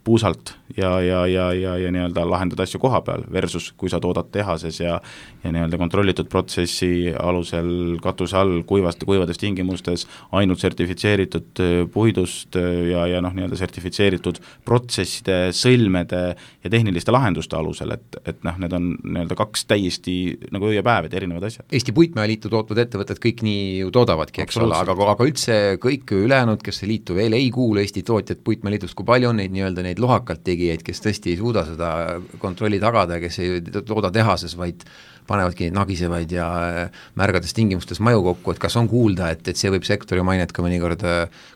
Speaker 5: puusalt ja nii-öelda lahendad asju koha peal versus kui sa toodad tehases ja nii-öelda kontrollitud protsessi alusel katuse all kuivades tingimustes ainult sertifitseeritud puidust ja nii-öelda sertifitseeritud protsesside, sõlmede ja tehniliste lahenduste alusel, et need on nii-öelda kaks täiesti nagu öö ja päev, et erinevad asjad.
Speaker 3: Eesti Puitmäeliitu tootvad ettevõtted kõik nii ju toodavadki, eks ole, aga üldse kõik ülejäänud, kes see liitu veel ei kuulu Eesti tootjad Puitmäeliitust, kui palju on neidlohakalt tegijaid, kes tõesti ei suuda seda kontrolli tagada, kes ei tooda tehases, vaid panevadki nagisevaid ja märgades tingimustes maju kokku, et kas on kuulda, et see võib sektori mainet ka mõnikord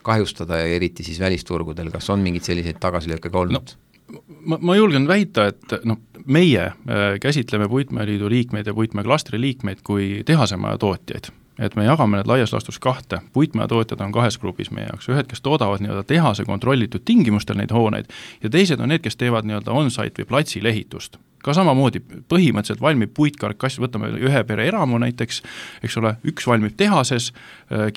Speaker 3: kahjustada ja eriti siis välisturgudel, kas on mingeid selliseid tagasilööke olnud?
Speaker 4: Ma julgen väita, et meie käsitleme Puitmäeliidu liikmeid ja Puitmäeklastri liikmeid kui tehasemaja tootjaid. Et me jagame need laias laastus kahte. Puitmäetootjad on kahes grupis meie jaoks. Ühed, kes toodavad nii-öelda tehase kontrollitud tingimustel neid hooneid ja teised on need, kes teevad nii-öelda on-site või platsil ehitust. Ka samamoodi põhimõtteliselt valmib puitkarkass, võtame ühe pere eramu näiteks, eks ole, üks valmib tehases,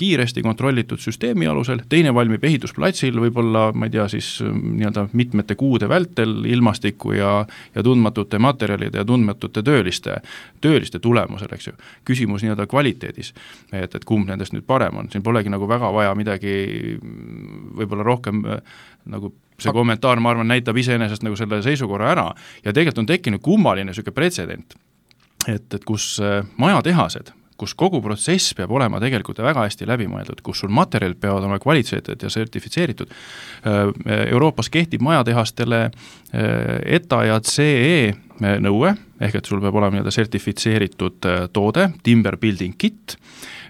Speaker 4: kiiresti kontrollitud süsteemi alusel, teine valmib ehitusplatsil, võib-olla, ma ei tea, siis nii-öelda mitmete kuude vältel ilmastiku ja tundmatute materjalide ja tundmatute tööliste tulemusel, eks ju. Küsimus nii-öelda kvaliteedis, et kumb nendest nüüd parem on, siin polegi nagu väga vaja midagi võib-olla rohkem nagu see kommentaar, ma arvan, näitab iseenesest nagu selle seisukorra ära ja tegelikult on tekkinud kummaline selline pretsedent, et kus majatehased, kus kogu protsess peab olema tegelikult väga hästi läbimõeldud, kus sul materjalid peavad olema kvaliteetsed ja sertifitseeritud. Euroopas kehtib majatehastele ETA ja CE nõue, ehk et sul peab olema nii-öelda sertifitseeritud toode, timber building kit,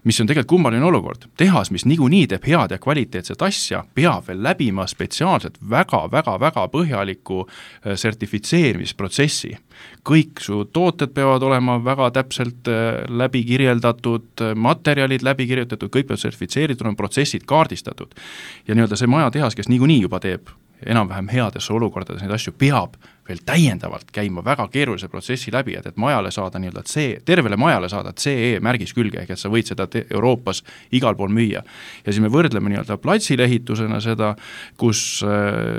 Speaker 4: mis on tegelikult kummaline olukord. Tehas, mis niikuinii teeb head ja kvaliteetset asja, peab veel läbima spetsiaalselt väga põhjaliku sertifitseerimisprotsessi. Kõik su tooted peavad olema väga täpselt läbi kirjeldatud, materjalid läbi kirjeldatud, kõik peavad sertifitseeritud, on protsessid kaardistatud. Ja nii-öelda see majatehas, kes niikuinii juba teeb enam-vähem headesse olukordades neid asju, peab veel täiendavalt käima väga keerulise protsessi läbi, et majale saada nii-öelda tervele majale saada CE märgis külge, ehk et sa võid seda Euroopas igal pool müüa. Ja siis me võrdleme nii-öelda platsilehitusena seda, kus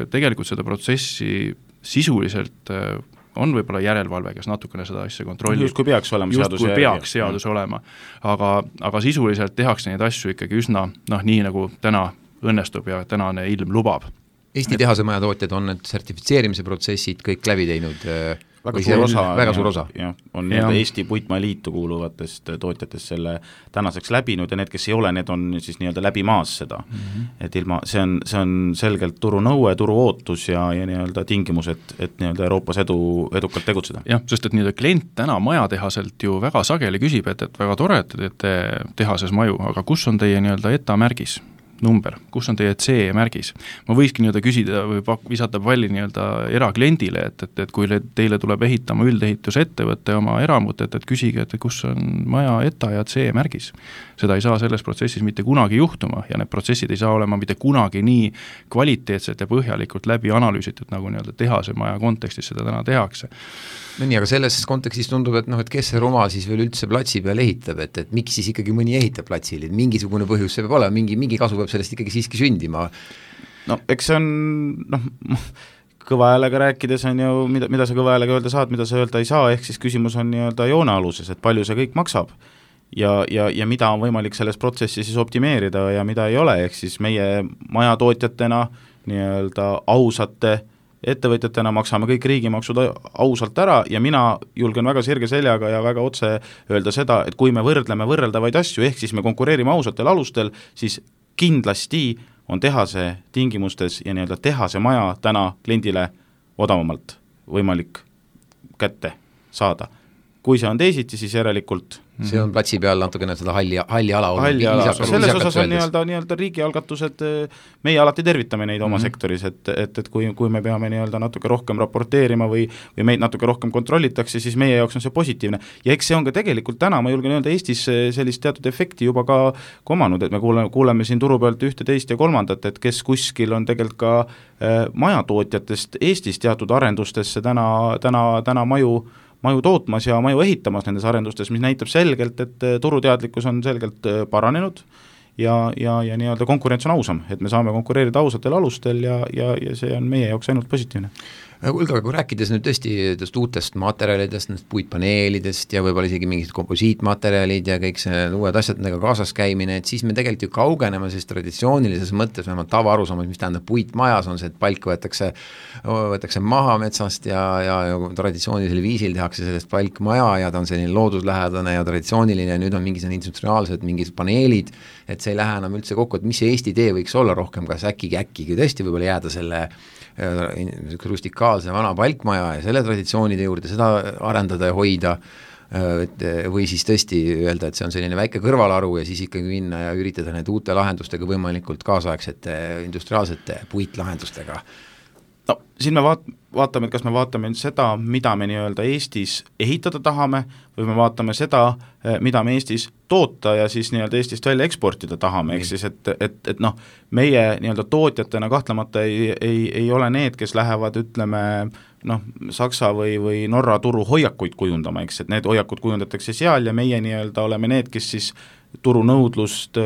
Speaker 4: tegelikult seda protsessi sisuliselt on võib-olla järelevalve, kes natukene seda asja kontrollib.
Speaker 5: Just kui peaks
Speaker 4: seadus olema. Aga sisuliselt tehakse neid asju ikkagi üsna, nii nagu täna õnnestub ja tänane ilm lubab.
Speaker 3: Eesti tehasemaja tootjad on need sertifitseerimise protsessid kõik läbi teinud
Speaker 5: väga suur osa. On Eesti Puitmäeliitu kuuluvatest tootjatest selle tänaseks läbinud ja need, kes ei ole, need on siis nii-öelda läbi maas seda. Et ilma, see on selgelt turu nõue, turu ootus ja nii-öelda tingimus, et nii-öelda Euroopas edukalt tegutseda.
Speaker 4: Jah, sest et nii-öelda klient täna majatehaselt ju väga sageli küsib, et väga tore, et teete tehases maju, aga kus on teie nii-öelda ETA märgis? Number, kus on teie CE märgis. Ma võikski nii-öelda küsida või visata palli nii-öelda erakliendile, et kui teile tuleb ehitama üldeehitusettevõtte oma eramut, et küsige, et kus on maja ETA ja CE märgis. Seda ei saa selles protsessis mitte kunagi juhtuma ja need protsessid ei saa olema mitte kunagi nii kvaliteetselt ja põhjalikult läbi analüüsitud, nagu nii-öelda tehase maja kontekstis seda täna tehakse.
Speaker 3: No nii, aga selles kontekstis tundub, et et kes see rumal siis veel üldse platsi peal ehitab, et miks siis ikkagi mõni ehitab platsil, et mingisugune põhjus see peab olema, mingi kasu peab sellest ikkagi siiski sündima.
Speaker 5: No eks see on, kõva häälega rääkides on ju, mida sa kõva häälega öelda saad, mida sa öelda ei saa, ehk siis küsimus on nii-öelda joone aluses, et palju see kõik maksab ja mida on võimalik selles protsessi siis optimeerida ja mida ei ole, ehk siis meie majatootjatena nii-öelda ausate ettevõtjatena maksame kõik riigimaksud ausalt ära ja mina julgen väga sirge seljaga ja väga otse öelda seda, et kui me võrdleme võrreldavaid asju, ehk siis me konkureerime ausatel alustel, siis kindlasti on tehase tingimustes ja nii-öelda tehase maja täna kliendile odavamalt võimalik kätte saada. Kui see on teisiti, siis järelikult
Speaker 3: see on platsi peal natukene seda halli ala
Speaker 5: selles osas on nii-öelda riigialgatused, meie alati tervitame neid oma sektoris, et kui me peame nii-öelda natuke rohkem raporteerima või meid natuke rohkem kontrollitakse, siis meie jaoks on see positiivne. Ja eks see on ka tegelikult täna, ma julgen öelda, Eestis sellist teatud efekti juba ka komanud, et me kuuleme siin turu pealt ühte, teist ja kolmandat, et kes kuskil on tegelikult ka majatootjatest Eestis teatud arendustesse täna maju tootmas ja maju ehitamas nendes arendustes, mis näitab selgelt, et turuteadlikkus on selgelt paranenud ja nii-öelda konkurents on ausam, et me saame konkureerida ausatel alustel ja see on meie jaoks ainult positiivne.
Speaker 3: Kuulge, aga kui rääkides nüüd tõesti uutest materjalidest, puitpaneelidest ja võib-olla isegi mingid komposiitmaterjalid ja kõik see uued asjad nendega kaasas käimine, et siis me tegelikult ju kaugeneme siis traditsioonilises mõttes, vähemalt tavaarusaamas, mis tähendab puitmajas, on see, et palk võetakse maha metsast ja traditsioonilisel viisil tehakse sellest palkmaja ja ta on selline looduslähedane ja traditsiooniline ja nüüd on mingisugused industriaalsed mingid paneelid, et see ei lähe enam üldse kokku, et mis see Eesti tee võiks olla rohkem, kas äkki tõesti võib-olla jääda selle rustikaalse vana palkmaja ja selle traditsioonide juurde seda arendada ja hoida, või siis tõesti öelda, et see on selline väike kõrvalaru ja siis ikkagi minna ja üritada need uute lahendustega võimalikult kaasaegsete industriaalsete puitlahendustega.
Speaker 5: No siin me vaatame, et kas me vaatame seda, mida me nii-öelda Eestis ehitada tahame või me vaatame seda, mida me Eestis toota ja siis nii-öelda Eestist välja eksportida tahame, ehk siis, et noh, meie nii-öelda tootjatena kahtlemata ei ole need, kes lähevad, ütleme, noh, Saksa või Norra turu hoiakuid kujundama, eks, et need hoiakud kujundatakse seal ja meie nii-öelda oleme need, kes siis turunõudlust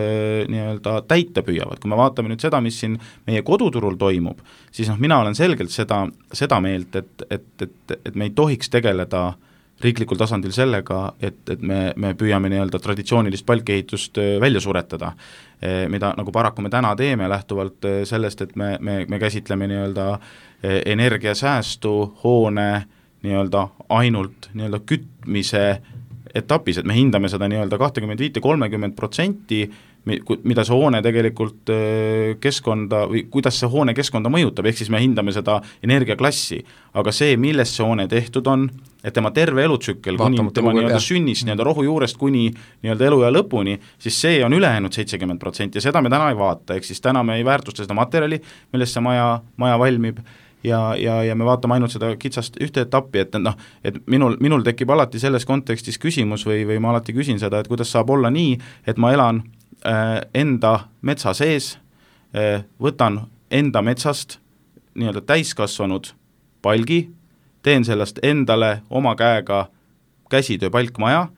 Speaker 5: nii-öelda täita püüavad. Kui me vaatame nüüd seda, mis siin meie koduturul toimub, siis noh, mina olen selgelt seda meelt, et me ei tohiks tegeleda riiklikul tasandil sellega, et me püüame nii-öelda traditsioonilist palkehitust välja suretada, mida nagu paraku me täna teeme lähtuvalt sellest, et me käsitleme nii-öelda energiasäästu hoone nii-öelda ainult nii-öelda kütmise etapis, et me hindame seda nii-öelda 25-30%, mida see hoone tegelikult keskkonda või kuidas see hoone keskkonda mõjutab, ehk siis me hindame seda energiaklassi, aga see, millest see hoone tehtud on, et tema terve elutsükkel kuni tema nii-öelda sünnist, nii-öelda rohu juurest kuni nii-öelda eluea lõpuni, siis see on ülejäänud 70% ja seda me täna ei vaata, ehk siis täna me ei väärtusta seda materjali, millest see maja valmib, ja me vaatame ainult seda kitsast ühte etappi, et noh, et minul tekib alati selles kontekstis küsimus või ma alati küsin seda, et kuidas saab olla nii, et ma elan enda metsa sees, võtan enda metsast nii-öelda täiskasvanud palgi, teen sellest endale oma käega käsitöö palkmaja,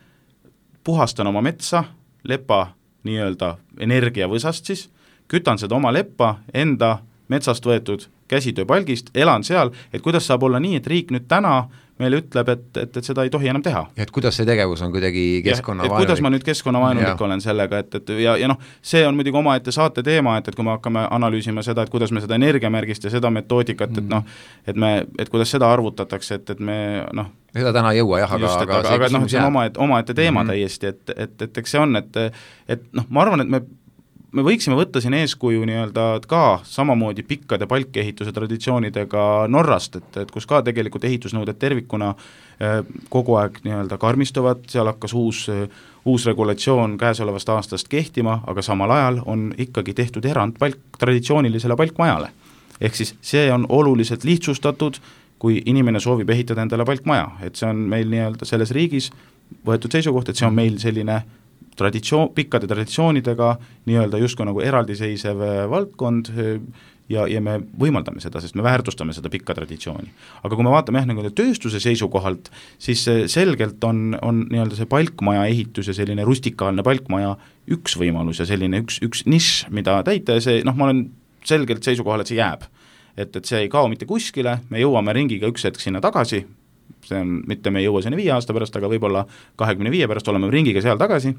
Speaker 5: puhastan oma metsa, lepa nii-öelda energiavõsast siis, kütan seda oma leppa enda metsast võetud käsitööpalgist, elan seal, et kuidas saab olla nii, et riik nüüd täna meile ütleb, et seda ei tohi enam teha.
Speaker 3: Ja et kuidas see tegevus on kuidagi keskkonnavaenulik?
Speaker 5: Kuidas ma nüüd keskkonnavaenulik olen sellega, ja noh, see on muidugi omaette saate teema, et kui me hakkame analüüsima seda, et kuidas me seda energiamärgist ja seda metoodikat, et noh, et kuidas seda arvutatakse, et me noh,
Speaker 3: seda täna ei jõua jah,
Speaker 5: aga noh, see on omaette teema täiesti, et eks see on, et noh, ma arvan, et me võiksime võtta siin eeskuju nii-öelda ka samamoodi pikkade palkehituse traditsioonidega Norrast, et kus ka tegelikult ehitusnõuded tervikuna kogu aeg nii-öelda karmistuvad, seal hakkas uus regulatsioon käesolevast aastast kehtima, aga samal ajal on ikkagi tehtud erand traditsioonilisele palkmajale. Ehk siis see on oluliselt lihtsustatud, kui inimene soovib ehitada endale palkmaja, et see on meil nii-öelda selles riigis võetud seisukoht, et see on meil selline pikkade traditsioonidega nii-öelda justkui nagu eraldiseisev valdkond ja me võimaldame seda, sest me väärtustame seda pikka traditsiooni. Aga kui me vaatame nagu tööstuse seisukohalt, siis selgelt on nii-öelda see palkmaja ehitus ja selline rustikaalne palkmaja üks võimalus ja selline üks nišš, mida täita ja see, noh, ma olen selgelt seisukohal, et see jääb. Et see ei kao mitte kuskile, me jõuame ringiga üks hetk sinna tagasi, see on, mitte me ei jõua sinna 5 aasta pärast, aga võib-olla 25 pärast oleme ringiga seal tagasi,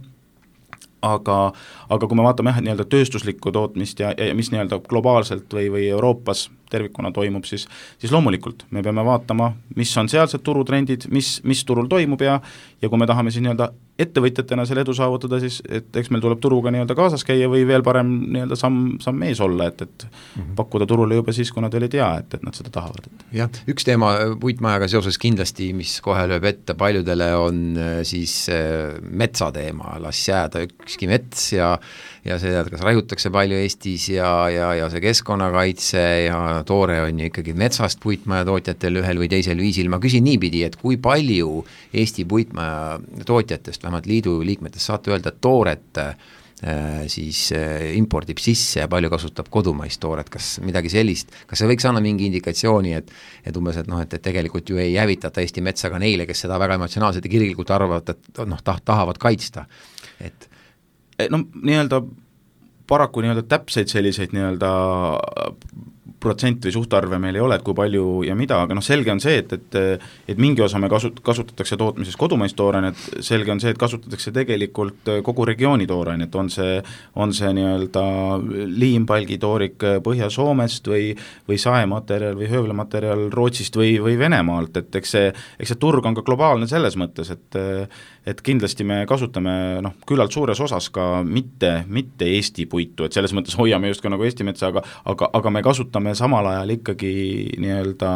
Speaker 5: aga kui me vaatame nii-öelda tööstuslikku tootmist ja mis nii-öelda globaalselt või Euroopas tervikuna toimub, siis loomulikult me peame vaatama, mis on sealsed turutrendid, mis turul toimub ja kui me tahame siis nii-öelda ettevõtjatena selle edu saavutada, siis et eks meil tuleb turuga nii-öelda kaasas käia või veel parem nii-öelda samm ees olla, et pakkuda turule juba siis, kui nad veel ei tea, et nad seda tahavad.
Speaker 3: Jah, üks teema puitmajaga seoses kindlasti, mis kohe lööb ette paljudele, on siis metsateema, las jääda ükski mets ja see, kas raiutakse palju Eestis ja see keskkonnakaitse ja toore on ju ikkagi metsast puitmaja tootjatel ühel või teisel viisil. Ma küsin niipidi, et kui palju Eesti puitmaja tootjatest, vähemalt liidu liikmetest saate öelda, et tooret siis impordib sisse ja palju kasutab kodumaist tooret, kas midagi sellist, kas see võiks anda mingi indikatsiooni, et umbes, et noh, et tegelikult ju ei hävitata Eesti metsa ka neile, kes seda väga emotsionaalselt ja kirglikult arvavad, et noh, tahavad kaitsta, et
Speaker 5: no nii-öelda paraku nii-öelda täpseid selliseid nii-öelda protsent või suhtarve meil ei ole, et kui palju ja mida, aga selge on see, et mingi osa me kasutatakse tootmises kodumaist toorainet, selge on see, et kasutatakse tegelikult kogu regiooni toorainet, on see nii-öelda liimpalgitoorik Põhja-Soomest või saematerjal või höövlematerjal Rootsist või Venemaalt, et eks see turg on ka globaalne selles mõttes, et kindlasti me kasutame küllalt suures osas ka mitte Eesti puitu, et selles mõttes hoiame just ka nagu Eesti metsa, aga me kasutame samal ajal ikkagi nii-öelda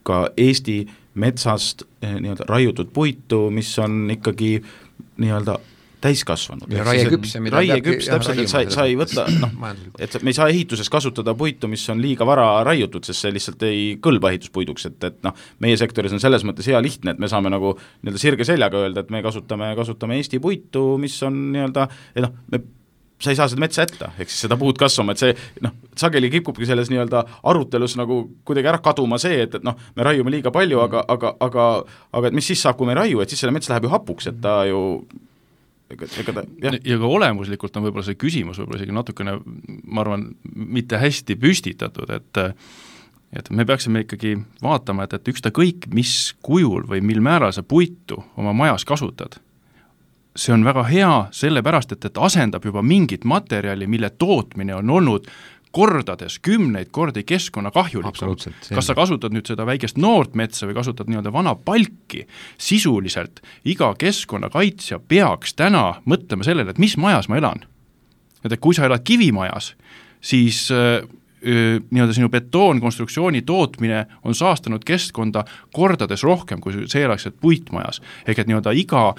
Speaker 5: ka Eesti metsast nii-öelda raiutud puitu, mis on ikkagi nii-öelda täiskasvanud.
Speaker 3: Ja raieküps,
Speaker 5: täpselt, et sa ei võtta, et me ei saa ehituses kasutada puitu, mis on liiga vara raiutud, sest see lihtsalt ei kõlba ehituspuiduks, et meie sektoris on selles mõttes hea lihtne, et me saame nagu nii-öelda sirge seljaga öelda, et me kasutame Eesti puitu, mis on nii-öelda, sa ei saa seda metsa jätta, ehk siis seda puud kasvama, et see sageli kipubki selles nii-öelda arutelus nagu kuidagi ära kaduma see, et me raiume liiga palju, aga et mis siis saab, kui me ei raiu, et siis selle mets läheb ju hapuks, et ta ju
Speaker 4: ja ka olemuslikult on võib-olla see küsimus võib-olla isegi natukene, ma arvan, mitte hästi püstitatud, et me peaksime ikkagi vaatama, et ükskõik mis kujul või mil määral sa puitu oma majas kasutad, see on väga hea sellepärast, et asendab juba mingit materjali, mille tootmine on olnud kordades, 10 kordi keskkonna kahjulikum. Kas sa kasutad nüüd seda väikest noort metsa või kasutad nii-öelda vana palki, sisuliselt iga keskkonnakaitsja peaks täna mõtlema sellele, et mis majas ma elan. Et kui sa elad kivimajas, siis nii-öelda sinu betoonkonstruktsiooni tootmine on saastanud keskkonda kordades rohkem, kui see elaks puitmajas. Ehk et nii-öelda iga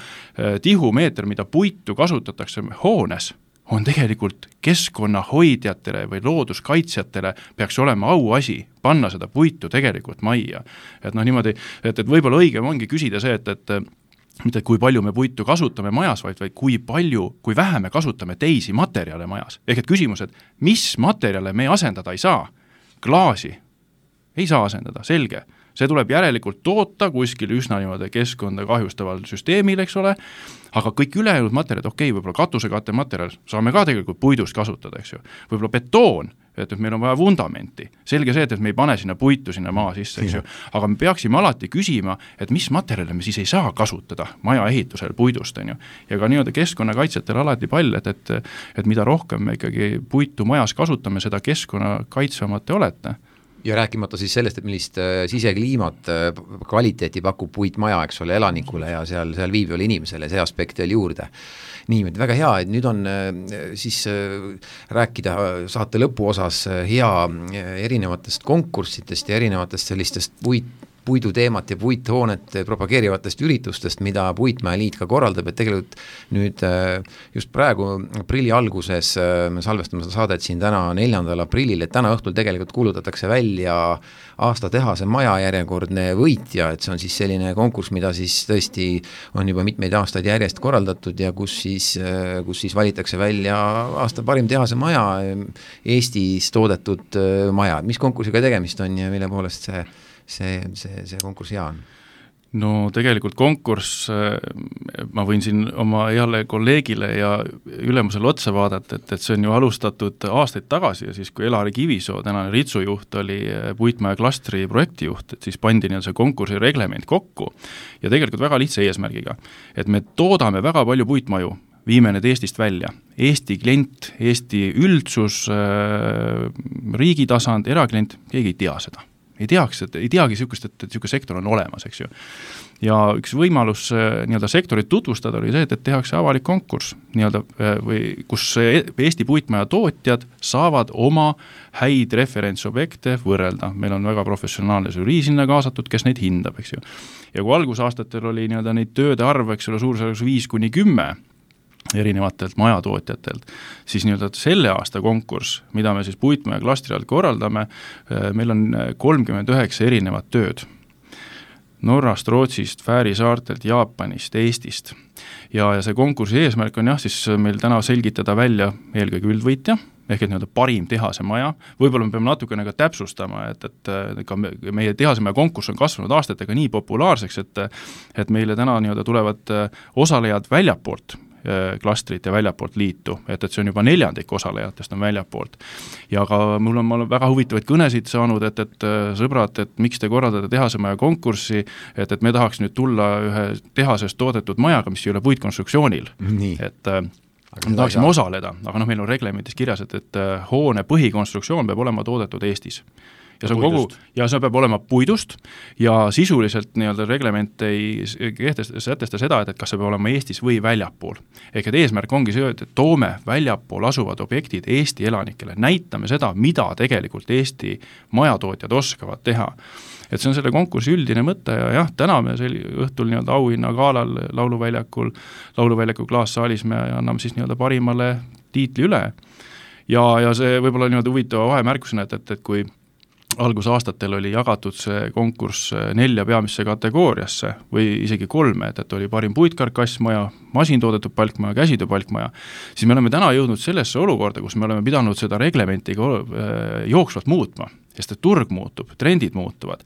Speaker 4: tihumeeter, mida puitu kasutatakse hoones, on tegelikult keskkonnahoidjatele või looduskaitsjatele peaks olema auasi panna seda puitu tegelikult majja. Et niimoodi, et võib-olla õigem ongi küsida see, et mitte kui palju me puitu kasutame majas, vaid kui vähe me kasutame teisi materjale majas. Ehk et küsimus, et mis materjale me asendada ei saa? Klaasi ei saa asendada, selge. See tuleb järelikult toota kuskil üsna niimoodi keskkonda kahjustaval süsteemil, eks ole, aga kõik ülejäänud materjalid, võib-olla katusekatte materjal saame ka tegelikult puidust kasutada, eks ju. Võib-olla betoon, et meil on vaja vundamenti. Selge see, et me ei pane sinna puitu sinna maa sisse, eks ju. Aga me peaksime alati küsima, et mis materjale me siis ei saa kasutada maja ehitusel puidust, on ju. Ja ka nii-öelda keskkonnakaitsjatel alati pall, et mida rohkem me ikkagi puitu majas kasutame, seda keskkonnakaitsvamad te olete.
Speaker 3: Ja rääkimata siis sellest, et millist sisekliimat kvaliteeti pakub puitmaja, eks ole, elanikule ja seal viibivale inimesele, see aspekt veel juurde. Nii, väga hea, et nüüd on siis rääkida saate lõpuosas hea erinevatest konkurssidest ja erinevatest sellistest puiduteemat ja puithoonet propageerivatest üritustest, mida Puitmäe Liit ka korraldab, et tegelikult nüüd just praegu aprilli alguses me salvestame seda saadet siin täna 4. aprillil, et täna õhtul tegelikult kuulutatakse välja aasta tehase maja järjekordne võitja, et see on siis selline konkurss, mida siis tõesti on juba mitmeid aastaid järjest korraldatud ja kus siis valitakse välja aasta parim tehase maja, Eestis toodetud maja. Mis konkursiga tegemist on ja mille poolest see konkurss hea on?
Speaker 4: No tegelikult konkurss, ma võin siin oma heale kolleegile ja ülemusele otsa vaadata, et see on ju alustatud aastaid tagasi ja siis, kui Elari Kivisoo, tänane Ritsujuht, oli Puitmäe klastri projektijuht, et siis pandi see konkursi reglement kokku ja tegelikult väga lihtsa eesmärgiga, et me toodame väga palju puitmaju, viime need Eestist välja. Eesti klient, Eesti üldsus, riigi tasand, eraklient, keegi ei tea seda. Ei teagi sihukest, et sihukene sektor on olemas, eks ju. Ja üks võimalus nii-öelda sektorit tutvustada oli see, et tehakse avalik konkurss, nii-öelda, või kus Eesti puitmaja tootjad saavad oma häid referentsobjekte võrrelda. Meil on väga professionaalne žürii sinna kaasatud, kes neid hindab, eks ju. Ja kui algusaastatel oli nii-öelda neid tööde arv, eks ole, suurusjärgus 5-10 erinevatelt majatootjatelt, siis nii-öelda selle aasta konkurss, mida me siis Puitmäe klastri alt korraldame, meil on 39 erinevat tööd. Norrast, Rootsist, Fääri saartelt, Jaapanist, Eestist. Ja see konkursi eesmärk on siis meil täna selgitada välja eelkõige üldvõitja, ehk et nii-öelda parim tehase maja. Võib-olla me peame natukene ka täpsustama, et ka meie tehase maja konkurss on kasvanud aastatega nii populaarseks, et meile täna nii-öelda tulevad osalejad väljapoolt klastrit ja väljapoolt liitu, et see on juba 1/4 osalejatest on väljapoolt. Ja ka ma olen väga huvitavaid kõnesid saanud, et sõbrad, et miks te korraldate tehasemaja konkurssi, et me tahaks nüüd tulla ühe tehasest toodetud majaga, mis ei ole puitkonstruktsioonil. Et me tahaksime osaleda, aga meil on reglementis kirjas, et hoone põhikonstruktsioon peab olema toodetud Eestis. Ja see peab olema puidust ja sisuliselt nii-öelda reglement ei sätesta seda, et kas see peab olema Eestis või väljapool. Ehk et eesmärk ongi see, et toome väljapool asuvad objektid Eesti elanikele, näitame seda, mida tegelikult Eesti majatootjad oskavad teha. Et see on selle konkursi üldine mõte ja jah, täna me õhtul nii-öelda auhinna gaalal lauluväljaku klaassaalis me anname siis nii-öelda parimale tiitli üle. Ja see võib-olla nii-öelda huvitava vahemärkusena, et kui algusaastatel oli jagatud see konkurss 4 peamisse kategooriasse või isegi 3, et oli parim puitkarkassmaja, masintoodetud palkmaja, käsitöö palkmaja, siis me oleme täna jõudnud sellesse olukorda, kus me oleme pidanud seda reglementi jooksvalt muutma, sest et turg muutub, trendid muutuvad.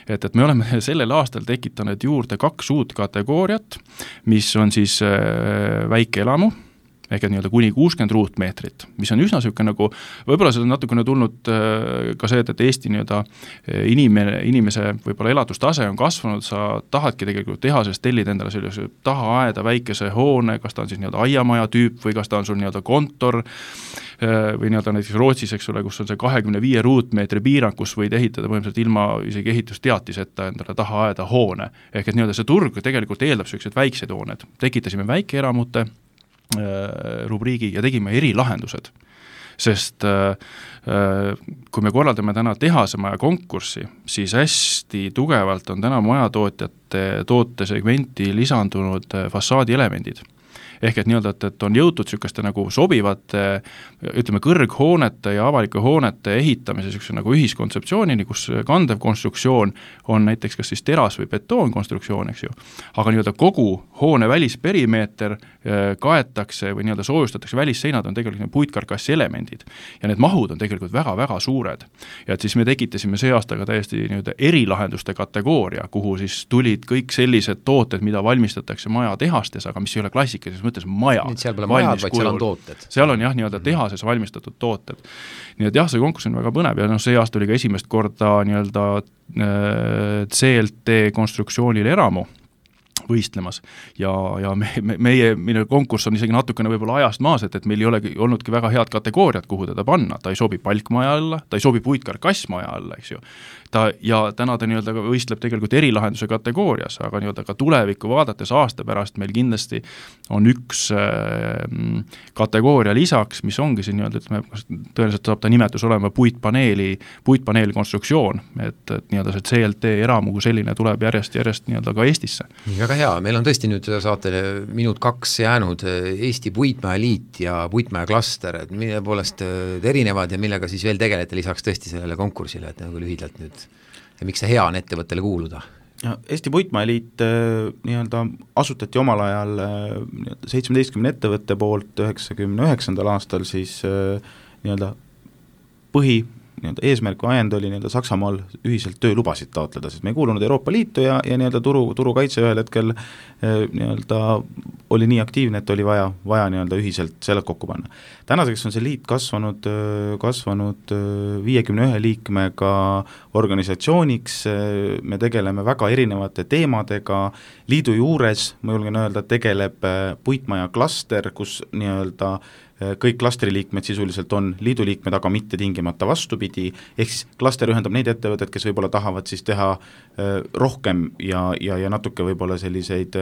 Speaker 4: Et me oleme sellel aastal tekitanud juurde 2 uut kategooriat, mis on siis väikeelamu, ehk et nii-öelda kuni 60 ruutmeetrit, mis on üsna selline nagu, võib-olla see on natukene tulnud ka see, et Eesti nii-öelda inimese võib-olla elatustase on kasvanud, sa tahadki tegelikult tehasest tellida endale sellise tahaaeda väikese hoone, kas ta on siis nii-öelda aiamaja tüüp või kas ta on sul nii-öelda kontor või nii-öelda näiteks Rootsis, eks ole, kus on see 25 ruutmeetri piirang, kus võid ehitada põhimõtteliselt ilma isegi ehitusteatiseta endale tahaaeda hoone. Ehk et nii-öelda see turg tegelikult eeldab sellised väiksed hooned. Tekitasime väikeeramute rubriigi ja tegime erilahendused, sest kui me korraldame täna tehasemaja konkurssi, siis hästi tugevalt on täna majatootjate tootesegmenti lisandunud fassaadielemendid. Ehk et nii-öelda, et on jõutud selliseste nagu sobivate, ütleme, kõrghoonete ja avalike hoonete ehitamise selline nagu ühiskontseptsioonini, kus kandev konstruktsioon on näiteks kas siis teras- või betoonkonstruktsioon, eks ju. Aga nii-öelda kogu hoone välisperimeeter kaetakse või nii-öelda soojustatakse, välisseinad on tegelikult puitkarkassi elemendid. Ja need mahud on tegelikult väga-väga suured. Ja et siis me tekitasime see aastaga täiesti nii-öelda erilahenduste kategooria, kuhu siis tulid kõik sellised tooted, mida valmistatakse maja tehastes, aga mis ei ole klassikalises mõttes maja.
Speaker 3: Seal pole majad, vaid seal on tooted.
Speaker 4: Seal on jah, nii-öelda tehases valmistatud tooted. Nii et jah, see konkurss on väga põnev ja see aasta oli ka esimest korda nii-öelda CLT konstruktsioonil eramu võistlemas ja meie konkurss on isegi natukene võib-olla ajast maas, et meil ei olegi olnudki väga head kategooriat, kuhu teda panna, ta ei sobi palkmaja alla, ta ei sobi puitkarkassmaja alla, eks ju. Ja täna ta nii-öelda võistleb tegelikult erilahenduse kategoorias, aga nii-öelda ka tulevikku vaadates aasta pärast meil kindlasti on üks kategooria lisaks, mis ongi siin nii-öelda, ütleme, tõenäoliselt saab ta nimetus olema puitpaneeli konstruktsioon, et nii-öelda see CLT eramu kui selline tuleb järjest nii-öelda ka Eestisse.
Speaker 3: Väga hea, meil on tõesti nüüd saatele minut 2 jäänud Eesti Puitmaja Liit ja Puitmaja klaster, et mille poolest erinevad ja millega siis veel tegelete lisaks tõesti sellele konkursile, et nagu lühidalt nüüd ja miks see hea on ettevõttele kuuluda?
Speaker 5: Eesti Puitmaja Liit nii-öelda asutati omal ajal 17 ettevõtte poolt 99. aastal siis nii-öelda nii-öelda eesmärk või ajend oli nii-öelda Saksamaal ühiselt töölubasid taotleda, sest me ei kuulunud Euroopa Liitu ja nii-öelda turukaitse ühel hetkel nii-öelda oli nii aktiivne, et oli vaja nii-öelda ühiselt selle kokku panna. Tänaseks on see liit kasvanud 51 liikmega organisatsiooniks, me tegeleme väga erinevate teemadega, liidu juures, ma julgen öelda, tegeleb puitmaja klaster, kus nii-öelda kõik klastriliikmed sisuliselt on liiduliikmed, aga mitte tingimata vastupidi, ehk siis klaster ühendab neid ettevõtted, kes võib-olla tahavad siis teha rohkem ja natuke võib-olla selliseid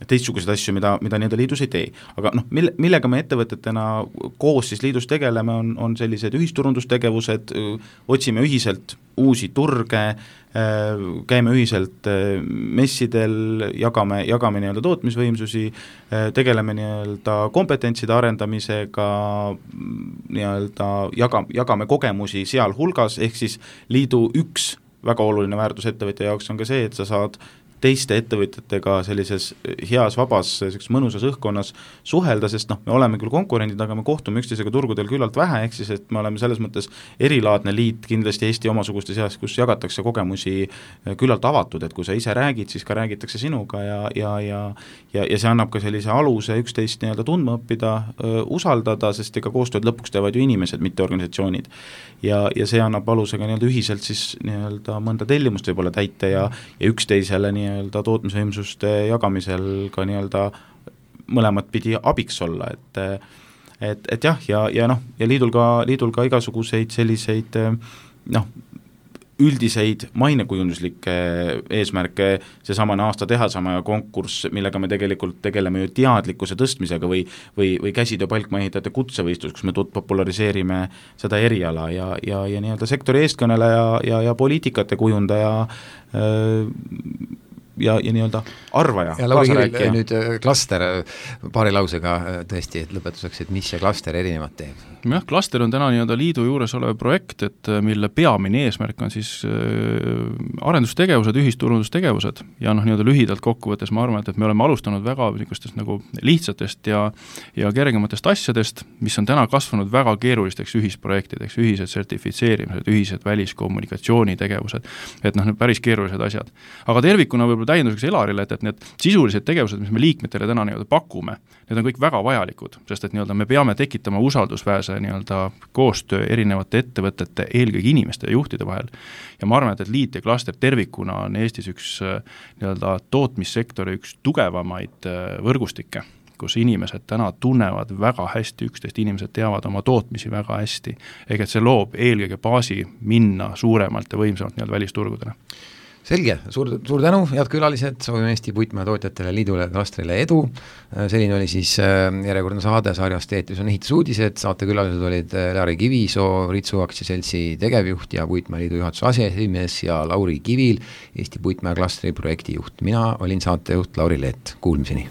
Speaker 5: teistsuguseid asju, mida nii-öelda liidus ei tee. Aga millega me ettevõtetena koos siis liidus tegeleme, on sellised ühisturundustegevused, otsime ühiselt uusi turge, käime ühiselt messidel, jagame nii-öelda tootmisvõimsusi, tegeleme nii-öelda kompetentside arendamisega, nii-öelda jagame kogemusi seal hulgas, ehk siis liidu üks väga oluline väärtus ettevõtja jaoks on ka see, et sa saad teiste ettevõtjatega sellises heas, vabas, sellises mõnusas õhkkonnas suhelda, sest me oleme küll konkurendid, aga me kohtume üksteisega turgudel küllalt vähe, ehk siis, et me oleme selles mõttes erilaadne liit kindlasti Eesti omasuguste seas, kus jagatakse kogemusi küllalt avatud, et kui sa ise räägid, siis ka räägitakse sinuga ja see annab ka sellise aluse üksteist nii-öelda tundma õppida, usaldada, sest ega koostööd lõpuks teevad ju inimesed, mitte organisatsioonid. Ja see annab alusega nii-öelda ühiselt siis nii-öelda mõnda tellimust võib-olla täita ja üksteisele nii-öelda tootmisvõimsuste jagamisel ka nii-öelda mõlemat pidi abiks olla, et jah, ja liidul ka igasuguseid selliseid üldiseid mainekujunduslikke eesmärke, seesamane aasta tehasama konkurss, millega me tegelikult tegeleme ju teadlikkuse tõstmisega või käsitöö palkmaehitajate kutsevõistlus, kus me populariseerime seda eriala ja nii-öelda sektori eestkõneleja ja poliitikate kujundaja ja nii-öelda arvaja.
Speaker 3: Ja Lauri Kivil nüüd klaster paari lausega tõesti lõpetuseks, et mis see klaster erinevat teeb?
Speaker 4: Jah, klaster on täna nii-öelda liidu juures olev projekt, et mille peamine eesmärk on siis arendustegevused, ühisturundustegevused ja nii-öelda lühidalt kokkuvõttes ma arvan, et me oleme alustanud väga niisugustest nagu lihtsatest ja kergematest asjadest, mis on täna kasvanud väga keerulisteks ühisprojektideks, ühised sertifitseerimised, ühised väliskommunikatsiooni tegevused, et päris keerulised asjad. Aga tervikuna võib-olla täienduseks Elarile, et need sisulised tegevused, mis me liikmetele täna nii-öelda pakume, need on kõik väga vajalikud, sest et nii-öelda me peame tekitama usaldusväärse nii-öelda koostöö erinevate ettevõtete, eelkõige inimeste ja juhtide vahel. Ja ma arvan, et liit ja klaster tervikuna on Eestis üks nii-öelda tootmissektori üks tugevamaid võrgustikke, kus inimesed täna tunnevad väga hästi üksteist, inimesed teavad oma tootmisi väga hästi, ega see loob eelkõige baasi minna suuremalt ja võimsamalt nii-öelda välisturgudele.
Speaker 3: Selge, suur tänu, head külalised, soovime Eesti puitmäetootjatele, liidule, klastrile edu. Selline oli siis järjekordne saade sarjast Eetris on ehitusuudised, saate külalised olid Lauri Kivisoo, Ritsu aktsiaseltsi tegevjuht ja puitmäeliidu juhatuse aseesimees ja Lauri Kivil, Eesti puitmäeklastri projektijuht. Mina olin saatejuht Lauri Leet, kuulmiseni.